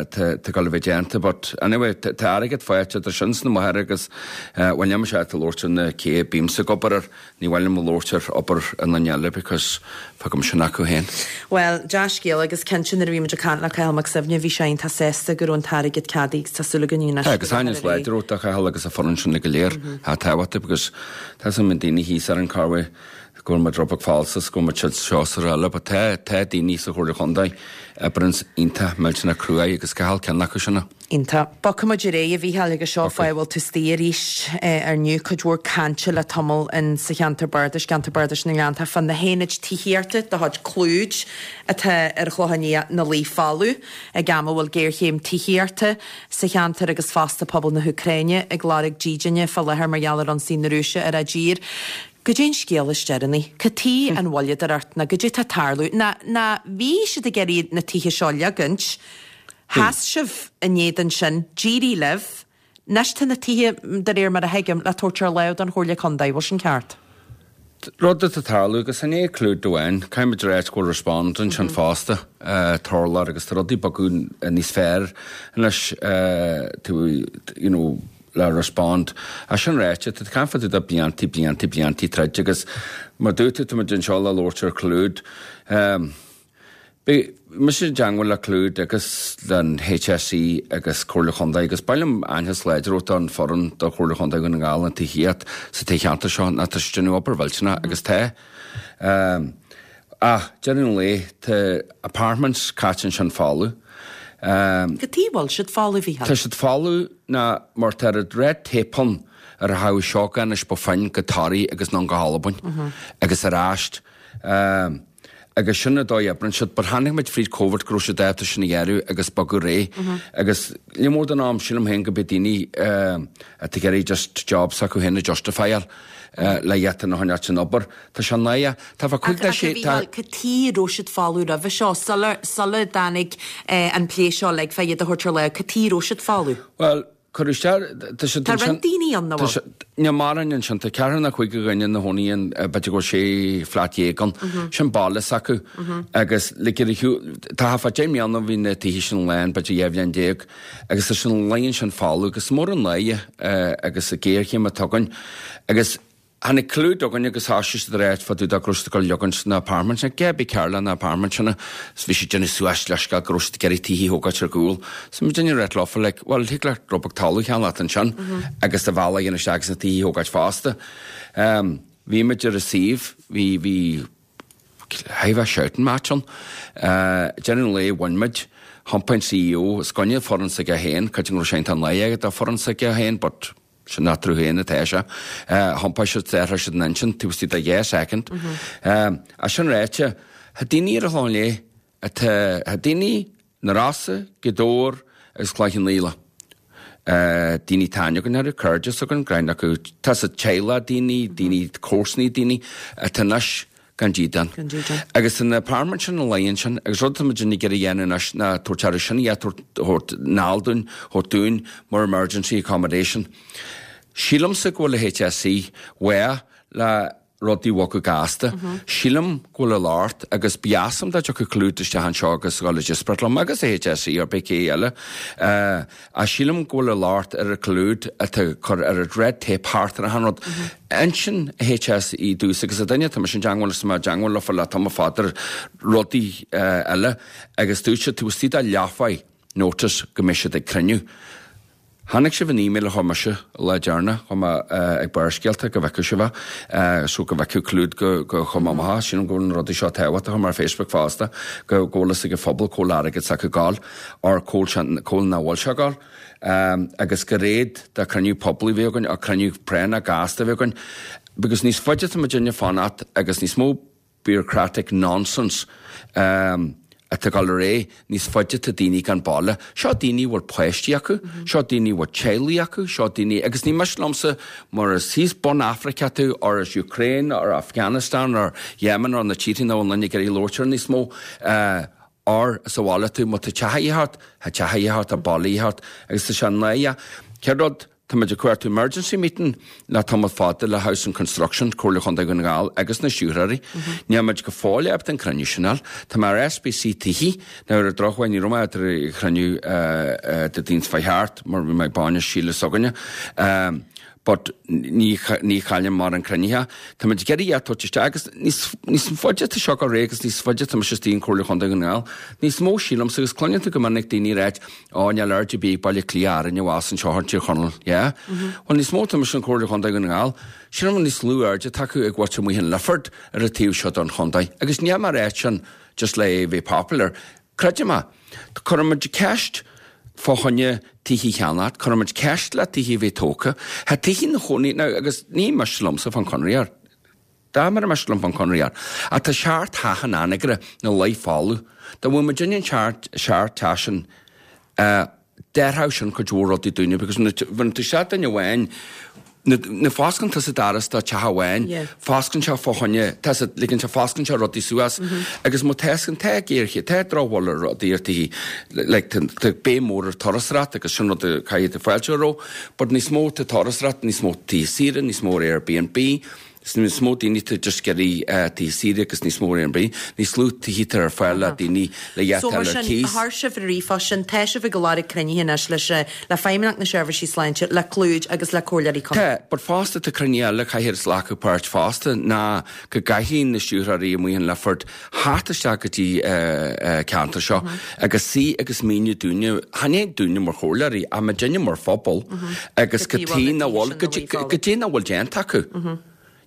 atá ag dul a bheith déanta but anyway tá airgead faighte idir sin sna bóithre agus bhuel níl mise ábalta labhairt ar na cé bímse ag obair air Ní mhaith liom labhairt ar obair aon duine eile because fágaim sin acu féin. Bhuel, dea-scéala agus cinnte nuair a bhí muid ag caint le Cathal Mac Suibhne bhí sé iontach sásta go raibh an t-airgead ceadaithe agus tá súil againn anois Tá, agus aithne láidir ó do Chathal agus a foireann sin go léir. Tá tábhachtach because tá some daoine thíos ar an Carway go bhfuil muid rud beag falsa 's go bhfuil muid seo 's araile, but tá tá daoine sa Chomhairle Chontae a oibríonns iontach millteanach cruaidh agus Cathal ceann acu sin. Iontach. Bogfaidh muid ar aghaidh, a Mhícheáil, agus seo fáth a bhfuil tú istigh arís ar inniu. Cuid mhór cainte le tamall in sa cheantar bardais, ceantar bardais na nGleanntach, fá na haonaid tithíochta de chuid Clúid atá ar an Chlochán Liath ina luí folamh ag am a bhfuil géarchéim tithíochta sa cheantar agus fosta pobal na hÚcráine ag lorg dídine fá láthair mar gheall ar ionsaí na Rúise ar a dtír. Goidé an scéal is deireanaí? Cad chuige an mhoilleadóireacht ná goidé tá ag tarlú? Ná ná bhí siad ag iarraidh na tithe seo a leagaint, sheas sibh in éadan sin, d'éirigh libh, anois tá na tithe, de réir mar a thuigim, le tabhairt ar láimh don Chomhairle Contae, bhfuil sin ceart? Rud atá ag tarlú agus ní hé Clúid amháin, caithfidh muid a ráit go bhfuil Respond ansin fosta, Turlach agus tá rudaí ag bogadh níos fearr anois, tú, you know, le Respond. É sin ráite, tá caint fá dtaobh de bliantaí, bliantaí, bliantaí troid agus mar dúirt tú, tá muid anseo le labhairt ar Clúid. Beidh mise i dteangmháil le Clúid agus le HSE agus Comhairle Chontae agus ba mhaith liom aitheantas láidir a thabhairt don foireann do Chomhairle Chontae Dhún na nGall an tithíocht sa toghcheantar seo ná tá siad ag déanamh obair mhillteanach agus tá. Ach deireadh an lae tá apartments caite ansin folamh. Cad chuige a bhfuil siad folamh, a Mhícheáil? Tá siad folamh ná mar tá an red tape ann ar a thabhairt seo anois ba fine go Toraigh agus anonn go hAlbain agus ar ais. Agus sin an dóigh a oibríonn siad. But tháinig muid fríd Covid go raibh siad ábalta sin a dhearadh agus bogadh réidh. Agus ní mór don am, sílim féin go mbeidh daoine atá ag iarraidh just job s'acu féin a justify-áil. le iad a choinneáil san obair. Tá sé náire. Tá fá cúig nó sé. Ach a Mhícheáil, cad chuige a raibh siad folamh roimhe seo, sula sula dtáinig an plé seo like fá iad a thabhairt ar láimh, cad chuige a raibh siad folamh? Bhuel, cuireadh isteach, tá siad Tá roinnt daoine ann, nach bhfuil? Níl mórán ansin, tá ceathrar nó cúig de dhuine ina chónaí ann, b'fhéidir go bhfuil sé flat dhéag ann. Sin baile s'acu. Agus like ar a shiúl, tá fá deich mbliana bhí na tithe sin lán, b'fhéidir dhá bhliain déag, agus tá sin luí ansin folamh agus is mór an náire agus an ghéarchéim atá againn. Agus tháinig Clúid chugainn agus thoisigh siad ag ráit fá dtaobh de go raibh siad ag dul a leagaint na apartments sin, cé bith cearr le na apartments sin is bhí siad ag déanamh suas leithscéal go raibh siad ag iarraidh tithe a thógáilt ar gcúl. So muidinne ag ráit leofa like, bhuel thig leat rud beag talamh a cheannacht ansin agus do bhealach a dhéanamh isteach agus na tithe a thógáilt fosta. Bhí muid ar an suíomh, bhí, bhí, chaithfidh bheith shouting match ann. Deireadh an lae bhain muid, thiompaigh an CEO, is i gcoinne foireann s'aige féin, creidim go raibh sé iontach náireach aige dá foireann s'aige féin but sin eatarthu féin atá sé. Thiompaigh siad, d'athraigh siad an intinn taobh istigh de dhá soicind. É sin ráite, tá daoine ar an Chlochán Liath atá, tá daoine na Rosa, Gaoth Dobhair agus Cloich Cheann Fhaola. Daoine atá aithne againn orthu, cairde s'againn, greann acu, tá sa teaghlach daoine, daoine, comharsanaí daoine atá anois gan dídean. Gan dídean. Agus tá na apartments sin ina luí ansin agus rud atá muid ag iarraidh a dhéanamh anois ná tabhairt aire sin a thabhairt anall dúinn, thabhairt dúinn mar emergency accommodation. Sílimse go bhfuil an HSE mhaith le rudaí a bhogadh gasta. Sílim go bhfuil a locht agus ba dheas liom dá dtiocfadh Clúid isteach anseo agus a dhul ag díospóireacht liom agus an HSE or pé cé eile. Ach sílim go bhfuil a locht ar an Clúid atá ag cur ar an red tape thart ar achan rud. Insíonn an HSE domhsa agus an duine atá mise i dteangmháil leis tá mé i dteangmháil leofa le tamall fada ar rudaí eile agus dúirt siad taobh istigh de leathuair notice go mbeidh siad ag cruinniú. Chonaic sibh an email a chuir mise an lá deireanach, chuir mé ag Barrscéalta go bhfeicfeadh sibh é, so go bhfeicfeadh Clúid go go chuir mé amach é. Sílim go bhfuil na rudaí seo tábhachtach, chuir mé ar Facebook fosta, go go bhfuil fhios ag an phobal cá bhfuil airgead s'acu ag gabháil, or cá bhfuil sé, cá bhfuil nach bhfuil sé ag gabháil. Agus gur réad de chruinniú poiblí a bhí againn, or cruinniú práinneach gasta a bhí againn, because níos faide atá muidinne ag fanacht agus níos mó bureaucratic nonsense atá ag dul ar aghaidh, níos faide atá daoine gan baile. Seo daoine a bhfuil páistí acu, seo daoine a bhfuil teaghlaigh acu, seo daoine, agus ní miste liomsa mura as thíos bun Afraice tú or as Ukraine or Afghanistan or Yemen or na tíortha nach bhfuil duine ag iarraidh labhairt orthu níos mó, or sa bhaile tú, má tá teach a dhíth ort, tá teach a dhíth ort, tá baile a dhíth ort agus tá sé náireach. Céad rud, Tá muid ag cuartú emergency meeting le tamall fada le Housing Construction, Comhairle Chontae Dhún na nGall agus na stiúrthóirí. Níl muid go fóill ábalta an cruinniú sin a fháil. Tá mé ar SBC Tithe. Now ar an drochuair ní raibh mé ar an chruinniú Dé Daoin seo chuaigh thart mar bhí mé ag bainis Síle s'againne. but ní ní chaillim mar an cruinnithe. Tá muid ag iarraidh iad a thabhairt isteach agus níos níos faide tá seo ar agus níos faide tá mise istigh in Comhairle Chontae Dhún na nGall. Níos mó sílimse agus cluineann tú go minic daoine ag ráit ó níl aird ar bith ag Baile Átha Cliath orainn abhus anseo ar Tír Chonaill, yeah? Well níos mó tá mise in Comhairle Chontae Dhún na nGall, sílim níos lú airde atá acu ag mhuintir amuigh in Lifford ar an taobh seo don chontae. Agus níl mé ag ráit sin just le bheith popular. Creidim é. Cuirimid ceist fá choinne tithe a cheannacht, cuirimid ceist le tithe a bheith tógtha. Tá tithe na chónaí, now, agus ní miste liomsa fán Conradh air. Dá mura miste liom fán Conradh air. Ach tá seacht theach in Anagaire 'na luí folamh. Dá bhfuil muid in ann seacht seacht teach sin, eh, d'athródh sin cuid mhór rudaí dúinne, because nuair tú isteach duine amháin, Nuair a fosclann tusa doras do teach amháin, fosclann sé fá choinne, tá sé, ligeann sé, fosclann sé rudaí suas agus má tá, tá géarchéim, tá drochbhail ar rudaí ar tithe, like tá, tá béim mór ar turasóireacht agus sin rud a caithfidh tú fáilte a roimh, but níos mó tá turasóireacht, níos mó tithe saoire, níos mó Airbnb, Is níos mó daoine atá just ag iarraidh tithe saoire agus níos mó Airbnb, níos lú tithe atá ar fáil le daoine le iad So mar ar sin, cíos. chuir sibh ar ríomhphost sin, tá sibh ag lorg cruinnithe anois leis, le Feidhmeannacht na Seirbhísí Sláinte, le Clúid agus le Comhairleoirí Contae. Tá, but fosta tá cruinnithe eile caithfidh glacadh páirt fosta ná go gcaithfidh na stiúrthóirí amuigh in Lifford theacht isteach go dtí ceantar seo agus suí agus míniú dúinne, chan é dúinne mar chomhairleoirí ach muidinne mar phobal agus Go go dtí dtí na bhfuil, go dtí na bhfuil déanta acu.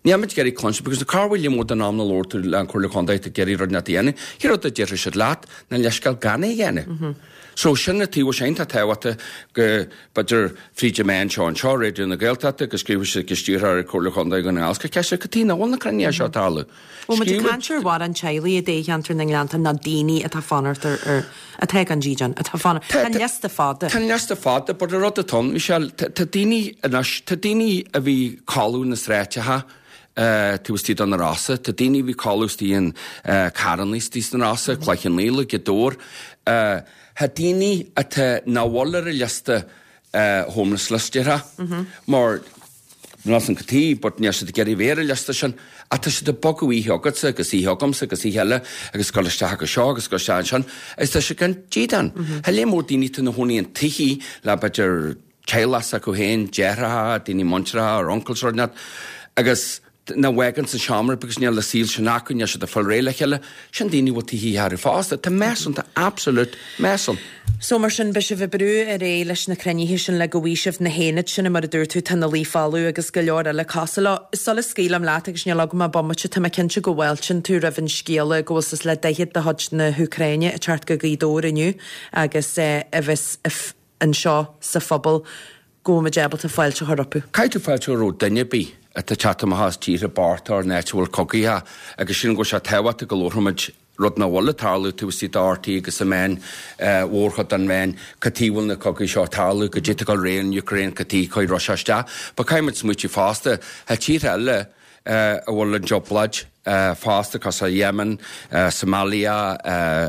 Níl muid ag iarraidh cluinstin because cá bhfuil mó den am na labhair tú le an Comhairle Contae ag iarraidh rud inteacht a dhéanamh, cén rud a déarfaidh siad leat ná leithscéal gan é a dhéanamh. So sin an taobh sin tá tábhachtach go b'fhéidir fríd na meáin seo anseo, Raidió na Gaeltachta, go scríobhfaidh siad go stiúrthóir Comhairle Chontae Dhún na nGall, ceist cad chuige nach bhfuil na cruinnithe seo ag tarlú. Bhfuil muid ag caint ar mhórán teaghlaigh i dtoghcheantar na nGleannta ná daoine atá ag fanacht ar, ar, atá gan dídean, atá ag fanacht, tá an liosta fada. Tá an liosta fada, but an rud atá ann, Michelle, tá daoine anois, tá daoine a bhí ag codladh na sráideacha taobh istigh de na Rosa, tá daoine a bhí ag codladh istigh in carrannaí istigh sna Rosa, Cloich Cheann Fhaola, Gaoth Dobhair. Tá daoine atá nach bhfuil ar an liosta homeless list, déarfá, mar níl 'fhios a'm cad chuige, but níl siad ag iarraidh bheith ar an liosta sin, ach tá siad ag bogadh oíche agatsa agus oíche agamsa agus oíche eile agus dul isteach acu seo agus dul isteach ansin agus tá siad gan dídean. Tá léar mór daoine atá ina chónaí in tithe le b'fhéidir teaghlach s'acu féin, deartháireacha, daoine muinteartha or uncles or whatnot agus nach bhfágann sa seomra because níl an saol sin acu, níl siad ag fáil réidh le chéile. Sin daoine a bhfuil tithe orthu fosta. Tá mess ann, tá absolute mess ann. So mar sin, beidh sibh ag brú ar aghaidh leis na cruinnithe sin le go bhfaighidh sibh na haonaid sin mar a dúirt tú, tá na luí folamh agus go leor eile cosúil leo. Sula scaoilim leat agus níl agam ach bomaite, tá mé cinnte go bhfáiltíonn tú roimh an scéala go bhfuil suas le daichead de chuid na hÚcráine ag teacht go Gaoth Dobhair inniu agus a bheas anseo sa phobal go bhfuil muid ábalta fáilte a chur rompu. Caithfidh tú fáilte a chur roimh duine ar bith atá ag teacht amach as tíortha bochta or an áit a bhfuil cogaithe agus sílim go bhfuil sé tábhachtach go labharfaimid rud nach bhfuil ag tarlú taobh istigh de RTÉ agus sa meáin mhórchuid den mheáin cad chuige a bhfuil na cogaí seo ag tarlú, cad é atá ag dul ar aghaidh in Ukraine, cad chuige a chuaigh Russia isteach. But caithfidh muid smaoitiú fosta, tá tíortha eile a bhfuil an trioblóid fosta, cosúil Yemen, Somalia,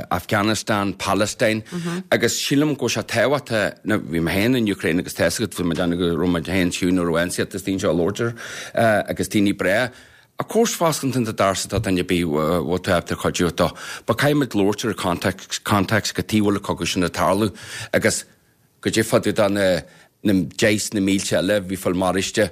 Afghanistan, Palestine, agus sílim go bhfuil sé tábhachtach, now bhí mé féin in Ukraine agus tá 'fhios agat, bhí mé ag déanamh go raibh muid féin fiú nuair a bhain siad is daoine seo a labhairt ar agus daoine breá. Of course fosclann tú an doras do dhuine ar bith a bhfuil tú ábalta cuidiú dó, but caithfidh muid labhairt ar an context, context cad chuige a bhfuil an cogadh sin ag tarlú agus goidé fá dtaobh de na na deich na mílte eile a bhí ag fáil maraithe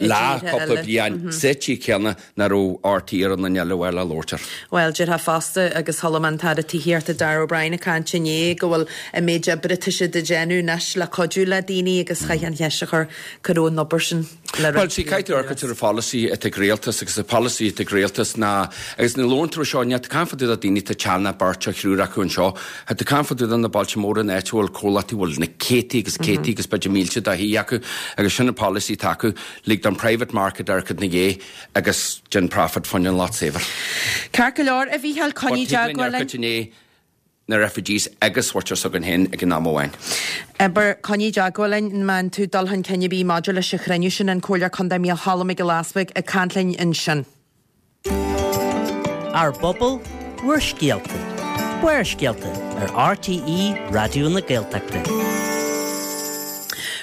le cúpla bliain sa tír céanna nach raibh RTÉ ar an duine eile a bhfuil le labhairt air. Bhuel, déarfá fosta, agus chuala mé an tAire Tithíochta Darragh O'Brien ag caint inné, go bhfuil an méid oibre atá siad a déanamh anois le cuidiú le daoine agus chaithfeá an cheist a chur, cá raibh an obair sin le Bhuel, see, caithfidh tú amharc ar an pholasaí atá ag rialtas agus an polasaí atá ag rialtas ná, agus nuair a labhrann tú ar seo, níl tú ag caint fá dtaobh de daoine atá teannach beirt nó thriúr acu anseo, tá tú ag caint fá dtaobh de na bailte móra in áit a bhfuil comhlachtaí a bhfuil na céadtaí agus céadtaí agus b'fhéidir mílte de thithe acu agus sin an polasaí atá acu, lig don private market amharc ina dhiaidh agus déan profit fá choinne an lucht saibhir. Ceart go leor, a Mhícheáil, coinnigh But thig linn teagmháil linn. amharc i ndiaidh na refugees agus muintir s'againn féin ag an am amháin. Abair, coinnigh teagmháil linn má fhaigheann tú dul chun cinn ar bith maidir leis an chruinniú sin, an Comhairleoir Contae Mícheál Choilm Mac Giolla Easbuig ag caint linn ansin. Ár bpobal, bhur scéalta. Barrscéalta ar RTÉ Raidió na Gaeltachta.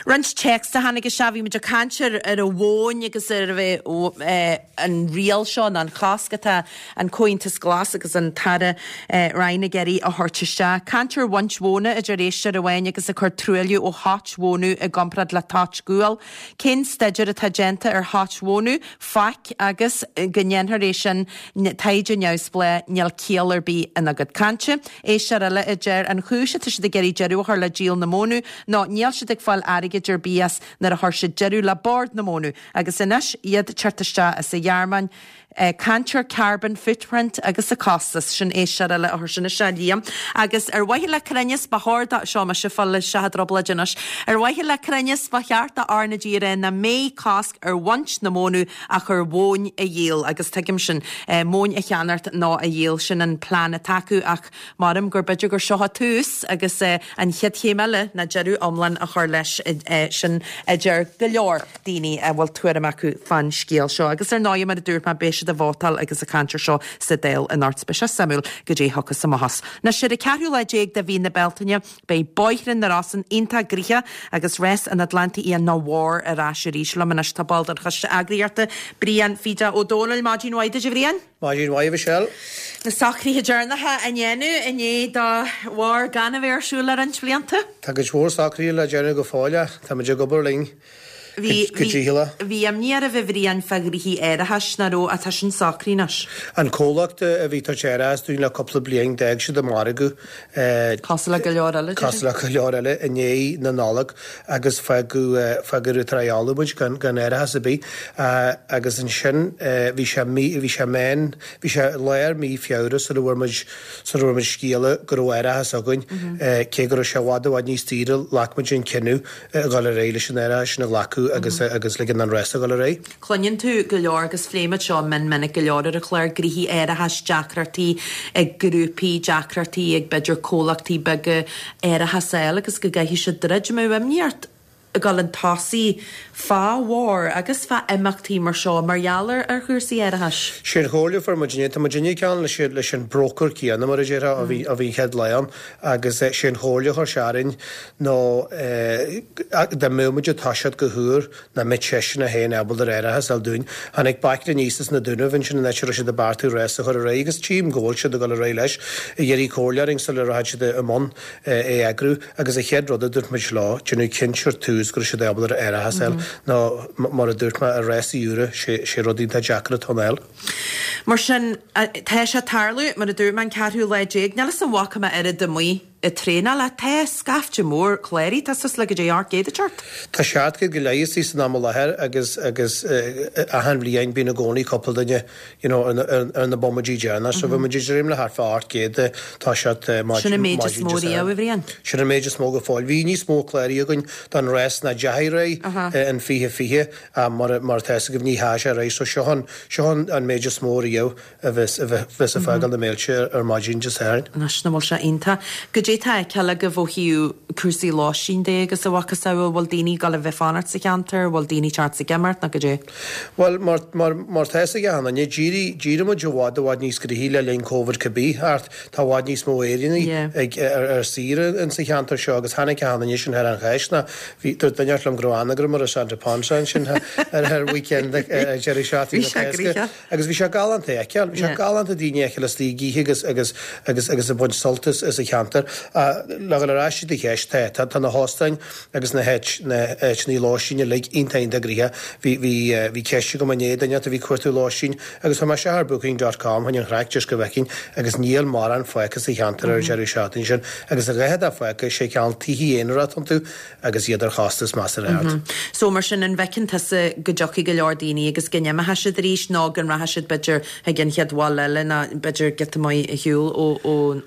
Roinnt téacs a tháinig isteach, bhí muid ag caint ar ar an mhóin agus ar a bheith an riail seo nó an chosc atá an Comhaontas Glas agus an tAire Ryan ag iarraidh a thabhairt isteach. Caint ar bhaint mhóna a deir éisteoir amháin agus ag cur truailliú ó thoit mhónadh i gcomparáid le toit guail. Cén staidéar atá déanta ar thoit mhónadh? Faic agus go ndéanfar é sin taighde neamhspleách níl ciall ar bith ina gcuid cainte. Éisteoir eile a deir an chúis atá siad ag iarraidh deireadh a chur le díol na mónadh ná níl siad ag fáil airgid ar bith as nuair a chuir siad deireadh le Bord na Mónadh agus anois iad teacht isteach as an Ghearmáin. Caint ar carbon footprint agus a costas sin éisteoir eile a chuir sin isteach Liam. Agus ar mhaithe le cruinneas ba chóir do seo mise fáil le seacht dtrioblóid anois. Ar mhaithe le cruinneas ba cheart do R na G a rá nach mbeidh cosc ar bhaint na mónadh ach ar mhóin a dhíol agus tuigim sin móin a cheannacht nó a dhíol sin an plean atá acu ach maram gur b'fhéidir gur seo tús agus an chéad chéim eile ná deireadh iomlán a chur leis sin a deir go leor daoine a bhfuil tuairim acu fán scéal seo. Agus ar ndóigh mar a dúirt mé beidh siad ag vótáil agus ag caint air seo sa Dáil anocht beidh sé suimiúil goidé thiocfas amach as. Anois ar an ceathrú lá déag de mhí na Bealtaine beidh Bóithre na Rosann iontach gnoitheach agus rás an Atlantaigh Fhiáin nó War ar ais arís liom anois tá ball den choiste eagraíochta Brian Pheda Ó Dónaill Maidin mhaith duit a Bhriain. Maidin mhaith Michelle. Na socruithe deireanacha á ndéanamh i ndiaidh do War gan a bheith ar siúl le roinnt blianta. Tá cuid mhór socruithe le déanamh go fóill tá muid ag obair linn. Bhí bhí imní oraibh a Bhriain fá ghnoithí árachais nach raibh atá sin socraithe anois. An comhlacht a bhí ag tabhairt árachas dúinn le cúpla bliain d'fhág siad an margadh. Cosúil le go leor eile. Cosúil le go leor eile i ndiaidh na Nollag agus fágadh fágadh triáladh muid gan gan árachas ar bith agus ansin bhí sé mí bhí sé meán bhí sé lár mí Feabhra sula bhfuair muid sula bhfuair muid scéala go raibh árachas againn cé go raibh sé i bhfad i bhfad níos daoire ghlac muid an cinneadh a dhul ar aghaidh leis an árachas sin a ghlacadh agus agus ligean an rás a dhul ar aghaidh. Cluineann tú go leor agus phléimid seo mion minic go leor ar an chlár gnoithí árachais deacrachtaí ag grúpaí deacrachtaí ag b'fhéidir comhlachtaí beaga árachas a fháil agus go gcaithfidh siad troid an mbeadh imní ort ag dul chun tosaigh fá War agus fá imeachtaí mar seo mar gheall ar ar chúrsaí árachais. Sé an chomhairle a fuair muid inné, tá muid inné ceann leis leis an broker céanna mar a déarfá a bhí a bhí an chéad lá ann agus sé an chomhairle a chuir sé orainn nó dá mbeadh muid ag toiseacht go húr nach mbeadh seisean é féin ábalta ar árachas a fháil dúinn. Tháinig baicne aníos as na Dúnaibh ansin an áit a raibh siad ag beartú rás a chur ar aghaidh agus tchím go bhfuil siad ag dul ar aghaidh leis ag iarraidh comhairle orainn sula rachaidh siad i mbun é a eagrú agus an chéad rud a dúirt muid leo déanamh cinnte ar tús go raibh siad ábalta ar árachas a fháil nó mar a dúirt mé i rásaí úra sé sé rud iontach deacair atá ann. Mar sin tá sé ag tarlú mar a dúirt mé an ceathrú lá déag níl 'fhios an bhfaca mé oiread amuigh ag traenáil ach tá scaifte mór cláraithe tá suas le go dtí ocht gcéad ag teacht. Tá seacht gcéad go leith istigh san am i láthair agus agus achan bhliain bíonn i gcónaí cúpla duine you know ar na ar na bomaidí deireanach so bhí muid ag dréim le thart fá ocht gcéad tá siad Sin an méid is mó riamh a Bhriain. Sin an méid is mó go fóill. Bhí níos mó cláraithe againn don rás ná deachaigh ar aghaidh in fiche fiche mar mar atá 'fhios agaibh ní theachaigh sé ar aghaidh so seo an seo an an méid is mó riamh a bheas a bheas ag fágáil na mílte ar maidin Dé Sathairn. Anois nach bhfuil sé iontach. Goidé tá á fheiceáil agaibh ó thaobh cúrsaí lóistín de agus a mhacasamhail, bhfuil daoine ag dul a bheith ag fanacht sa cheantar, bhfuil daoine ag teacht ag imeacht nó goidé? Bhuel mar mar mar tá 'fhios ag achan duine, d'éirigh d'éirigh muid i bhfad i bhfad níos gnoithí le linn Covid cibé thart. Tá i bhfad níos mó Éireannaigh ag ar ar saoire in sa cheantar seo agus tháinig achan duine sin thar an Cháisc ná bhí dúirt duine liom go raibh anagram ar Santa Ponsa ansin ar ar weekend ag deireadh seachtaine Bhí na sé Cásca. gnoitheach. Agus bhí sé galánta a fheiceáil, bhí sé galánta daoine a fheiceáil istigh ag ithe agus agus agus agus ag baint sult as as an cheantar. Le dhul ar ais do cheist, tá tá tá na hóstáin agus na háit na háiteanna lóistín uilig iontach iontach gnoitheach. Bhí bhí bhí ceist agam inné duine a bhí ag cuartú lóistín agus chuir mé isteach ar booking dot com chun an chraic just go bhfeicfinn agus níl mórán fágtha sa cheantar ar an deireadh seachtaine sin agus a dhath atá fágtha sé cineál tithe aonair atá iontu agus iad ar chostas measartha ard. So mar sin an bhfeiceann tusa go dtiocfaidh go leor daoine agus go n-imeoidh siad arís nó go rachaidh siad b'fhéidir chuig an chéad bhaile eile nó b'fhéidir giota maith ar shiúl ó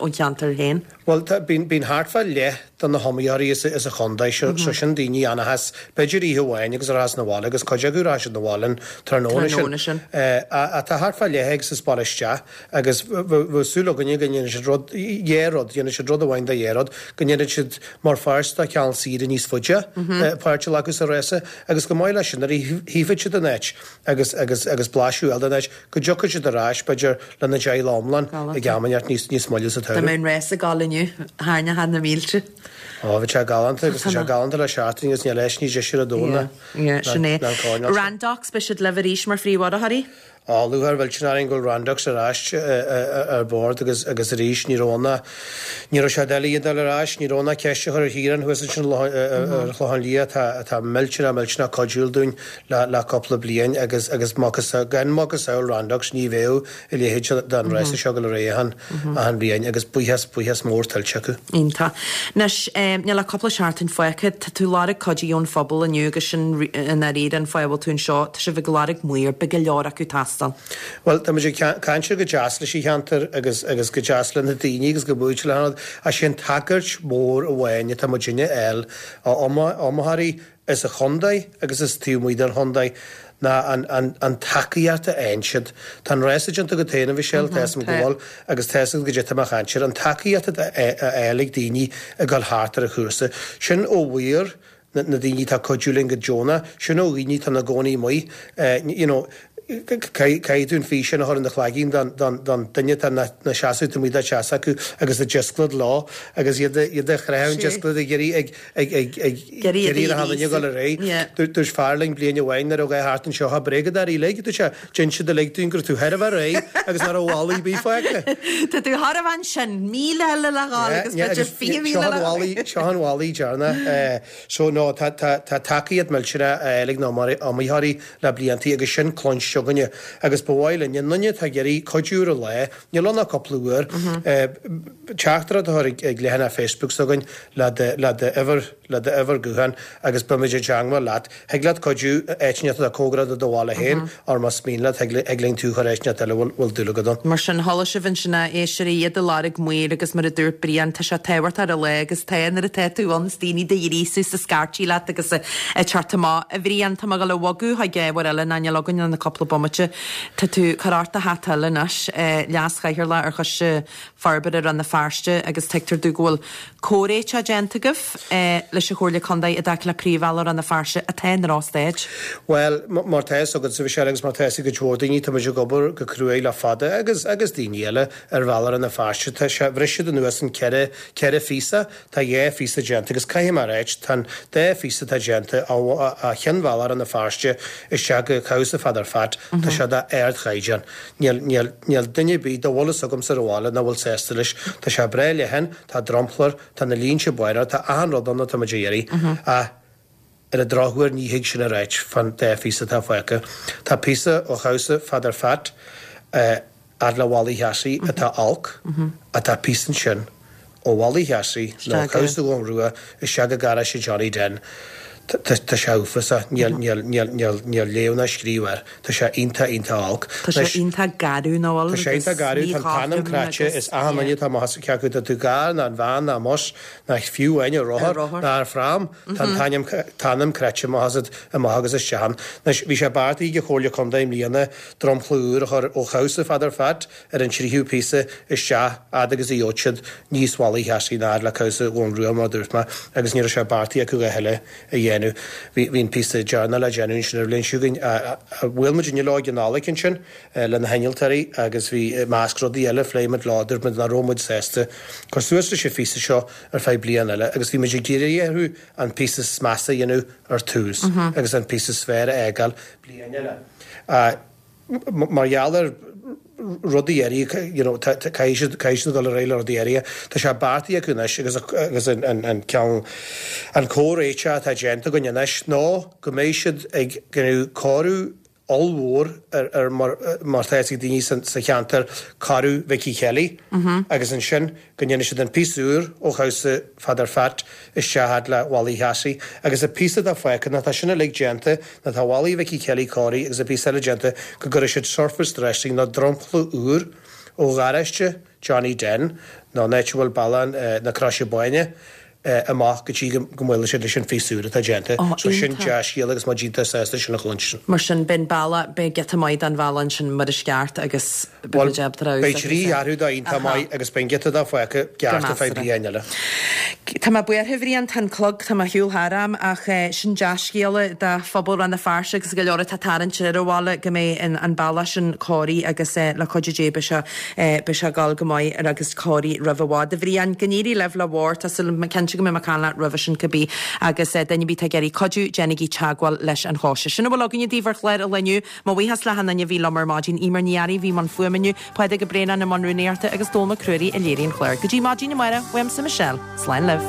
ón cheantar féin? Bhuel tá bíonn bíonn thart fá leath de na hiomaitheoirí as as an chontae seo so sin daoine a fhanfas b'fhéidir oíche amháin agus a rachas 'na bhaile agus cuid acu rachaidh siad 'na bhaile an tráthnóna sin. Tráthnóna sin. A tá thart fá leath ag sa baile isteach agus bheadh súil againne go ndéanfaidh siad rud dhá rud, dhéanfaidh siad rud amháin de dhá rud, go ndéanfaidh siad mar pháirt de cheann saoire níos faide páirt a ghlacadh sa rása agus go maith leis sin nuair a chífidh siad an áit agus agus agus blaiseadh eile den áit go dtiocfaidh siad ar ais b'fhéidir lena dteaghlach iomlán ag am inteacht níos níos moille sa Dá tsamhradh. mbeadh an rás ag dul inniu, tharraingeodh na mílte. Ó, bhí sé galánta agus tá sé galánta le seachtain agus níl leis ní deise ar domhan Yeah, sin é. Randox, beidh siad libh arís mar phríomhurraitheoirí? Á, lúcháir mhillteanach orainn go bhfuil Randox ar ais ar bord agus agus arís ní raibh ann ní raibh sé doiligh iad a fháil ar ais, ní raibh ann ach ceist a chur ar Chiarán thuas ansin ar Chlochán Liath atá atá millteanach millteanach cuidiúil dúinn le le cúpla bliain agus agus gan macasamhail Randox ní bheadh a leithéid den rása seo ag dul ar aghaidh achan achan bhliain agus buíochas buíochas mór tuillte acu. Iontach. Anois, níl ach cúpla seachtain fágtha, tá tú ag lorg cuidiú ón phobal inniu agus sin i ndáiríre an fáth a bhfuil tú anseo, tá sibh ag lorg maor, beidh go leor acu ag teastáil. Bhuel, tá muid ag caint go deas leis an cheantar agus agus go deas le na daoine agus go buaite le hanad, ach sé an tagairt mhór amháin atá muidinne a fháil ó iomaitheoirí as an chontae agus as taobh amuigh den chontae ná an an an tacaíocht a fhaigheann siad. Tá an rása déanta agat féin, a Mhichelle, tá 'fhios a'm go bhfuil agus tá 'fhios agat goidé tá mé a chaint air, an tacaíocht atá a fháil ag daoine ag dul thart ar an chúrsa. Sin ó mhaoir na na daoine atá ag cuidiú linn go deonach, sin ó dhaoine atá ina gcónaí amuigh, you know, Caithfidh tú an físeán a chur ina chloigeann don duine atá ina seasamh taobh amuigh de teach s'acu agus ag disclad leo agus iad iad ag croitheadh an disclad ag iarraidh ag ag ag ag iarraidh ar achan duine dul ar aghaidh. Dúirt fear linn bliain amháin nuair a raibh thart anseo tá bréagadóirí uilig, dúirt sé, d'inis siad uilig dúinn go raibh tú thar a bheith réidh agus nach raibh mhala ar bith fágtha. Tá tú thar a bheith ansin, míle eile le dhul agus b'fhéidir fiche míle le dhul. Seo an mhala deireanach. So no tá tá tá tacaíocht millteanach á fháil ag na iomaitheoirí le bliantaí agus sin cluinste againne agus ba mhaith linn aon duine atá ag iarraidh cuidiú ar an lá, níl ann ach cúpla uair, teachtaireacht a chur ag leathanach Facebook s'againn le do le d'uimhir le d'uimhir gutháin agus beimid i dteangmháil leat. Thig leat cuidiú áit inteacht atá cóngarach do do bhaile féin or más mian leat thig thig linn tú a chur áit inteacht eile a bhfuil bhfuil dúil agat ann. Mar sin, chuala sibh ansin a éisteoirí, iad ag lorg maoir agus mar a dúirt Brian, tá sé tábhachtach ar an lá agus tá nuair atá tú ann is daoine do ghríosú is ag scairtigh leat agus ag teacht amach. A Bhriain, tá mé ag dul a bhogadh chuig ábhar eile ná níl againn ach cúpla bomaite. Tá tú ag cur ort do hata eile anois, Leas-Chathaoirleach ar Choiste Forbartha Rann na Feirste agus tuigtear domh go bhfuil comhréiteach déanta agaibh leis an Chomhairle Contae i dtaca le príomhbhealach Rann na Feirste atá i ndrochstaid. Bhuel, mar tá fhios agatsa, Michelle, agus mar tá fhios ag cuid mhór daoine, tá muid ag obair go cruaidh le fada agus agus daoine eile ar bhealach Rann na Feirste. Tá sé, bhris siad anuas in ceithre, ceithre phíosa, tá dhá phíosa déanta agus caithfidh mé a ráit, tá an dá phíosa atá déanta ó cheann bhealach Rann na Feirste isteach go Cabhsa Pheadair Pheait, tá sé d'ardchaighdeán. Níl, níl, níl duine ar bith dá bhfuil fhios agamsa ar an bhaile nach bhfuil sásta leis. Tá sé breá leathan, tá dromchla air, tá na línte bána air, tá achan rud ann atá muid a iarraidh. Ach ar an drochuair ní thig sin a ráit fán dá phíosa atá fágtha. Tá píosa ó Chabhsa Pheadair Pheait, fhad le Mhalaí Sheasaí atá olc, ach tá píosa ansin ó Mhalaí Sheasaí nó Cabhsa Dhún Rua isteach go garáiste Johnny Den. Tá sé uafásach. Níl, níl, níl, níl, níl léamh ná scríobh air. Tá sé iontach, iontach olc. Tá sé iontach garbh, nach bhfuil? Tá sé iontach garbh, tá an t-anam cráite, is achan duine atá amach as, cé acu tá tú i gcarr ná an veain ná an mbus ná fiú amháin ar rothar ná ar phram, tá an t-ainm, t-anam cráite amach asat, amach agus isteach ann. Anois, bhí sé beartaithe ag an Chomhairle Contae i mbliana dromchla úr a chur ó Chabhsa Pheadair Pheait ar an tríú píosa isteach fhad agus a gheobhadh siad níos Mhalaí Sheasaí ná fhad le Cabhsa Dhún Rua mar a dúirt mé agus ní raibh sé beartaithe acu a thuilleadh a dhéanamh. Bhí bhí an píosa deireanach le déanamh ansin ar an bhliain seo chugainn. Bhuail muid inniu leo ag an Nollaig ansin le na hinnealtóirí agus bhí i measc rudaí eile phléigh muid leo dúirt muid nach raibh muid sásta cur suas leis an phíosa seo ar feadh bliain eile agus bhí muid ag iarraidh orthu an píosa is measa a dhéanamh ar tús agus an píosa is fearr a fhágáil bliain eile. Mar gheall ar rudaí áirithe, you know, caithfidh siad, caithfidh siad dul ar aghaidh le rudaí áirithe. Tá sé beartaithe acu anois agus, agus an, an, an ceann, an comhréiteach atá déanta againn anois ná go mbeidh siad ag déanamh cóiriú ollmhór ar, ar mar, mar tá fhios ag daoine sa, sa cheantar, cóiriú Mhicí Kelly agus ansin go ndéanfaidh siad an píosa úr ó Chabhsa Pheadair Pheait isteach fhad le Mhalaí Sheasaí agus an píosa atá fágtha, nuair atá sin uilig déanta, nuair atá Mhalaí Mhicí Kelly cóirithe agus an píosa eile déanta, go gcuirfidh siad surface dressing nó dromchla úr ó gharáiste Johnny Den nó an áit a bhfuil bealach na Croise Báine, amach go dtí go mbuailfidh siad leis an phíosa úr atá déanta. So sin dea-scéal agus muid iontach sásta sin a chluinstin. Mar sin, beidh an bealach, beidh giota maith den bhealach ansin mar is ceart agus beidh muid ábalta Beidh trí cheathrú de iontach maith agus beidh an giota atá fágtha ceart ar feadh bliain eile. Tá mé buartha a Bhriain, tá an clog, tá mé ar shiúl thar am ach sin dea-scéala do phobal Rann na Feirste agus go leor atá ag tarraingt ar an bhaile go mbeidh an bealach sin cóirithe agus le cuidiú Dé beidh sé beidh sé ag dul go maith agus cóirithe roimh i bhfad. A Bhriain, go n-éirí libh le bhur, tá súil agam cinnte go mbeidh mé ag caint leat roimhe sin cibé agus duine ar bith atá ag iarraidh cuidiú, déanaigí teagmháil leis an Choiste. Sin a bhfuil againne daoibh ar chlár an lae inniu. Mo bhuíochas le hachan duine a bhí liom ar maidin, Eimear Ní Fhearraigh a bhí i mbun fuaime inniu, Pádraig Ó Braonáin i mbun rúnaíochta agus Dónall Mac Ruairí a léirigh an clár. Go dtí maidin amárach, uaimse Michelle. Slán libh.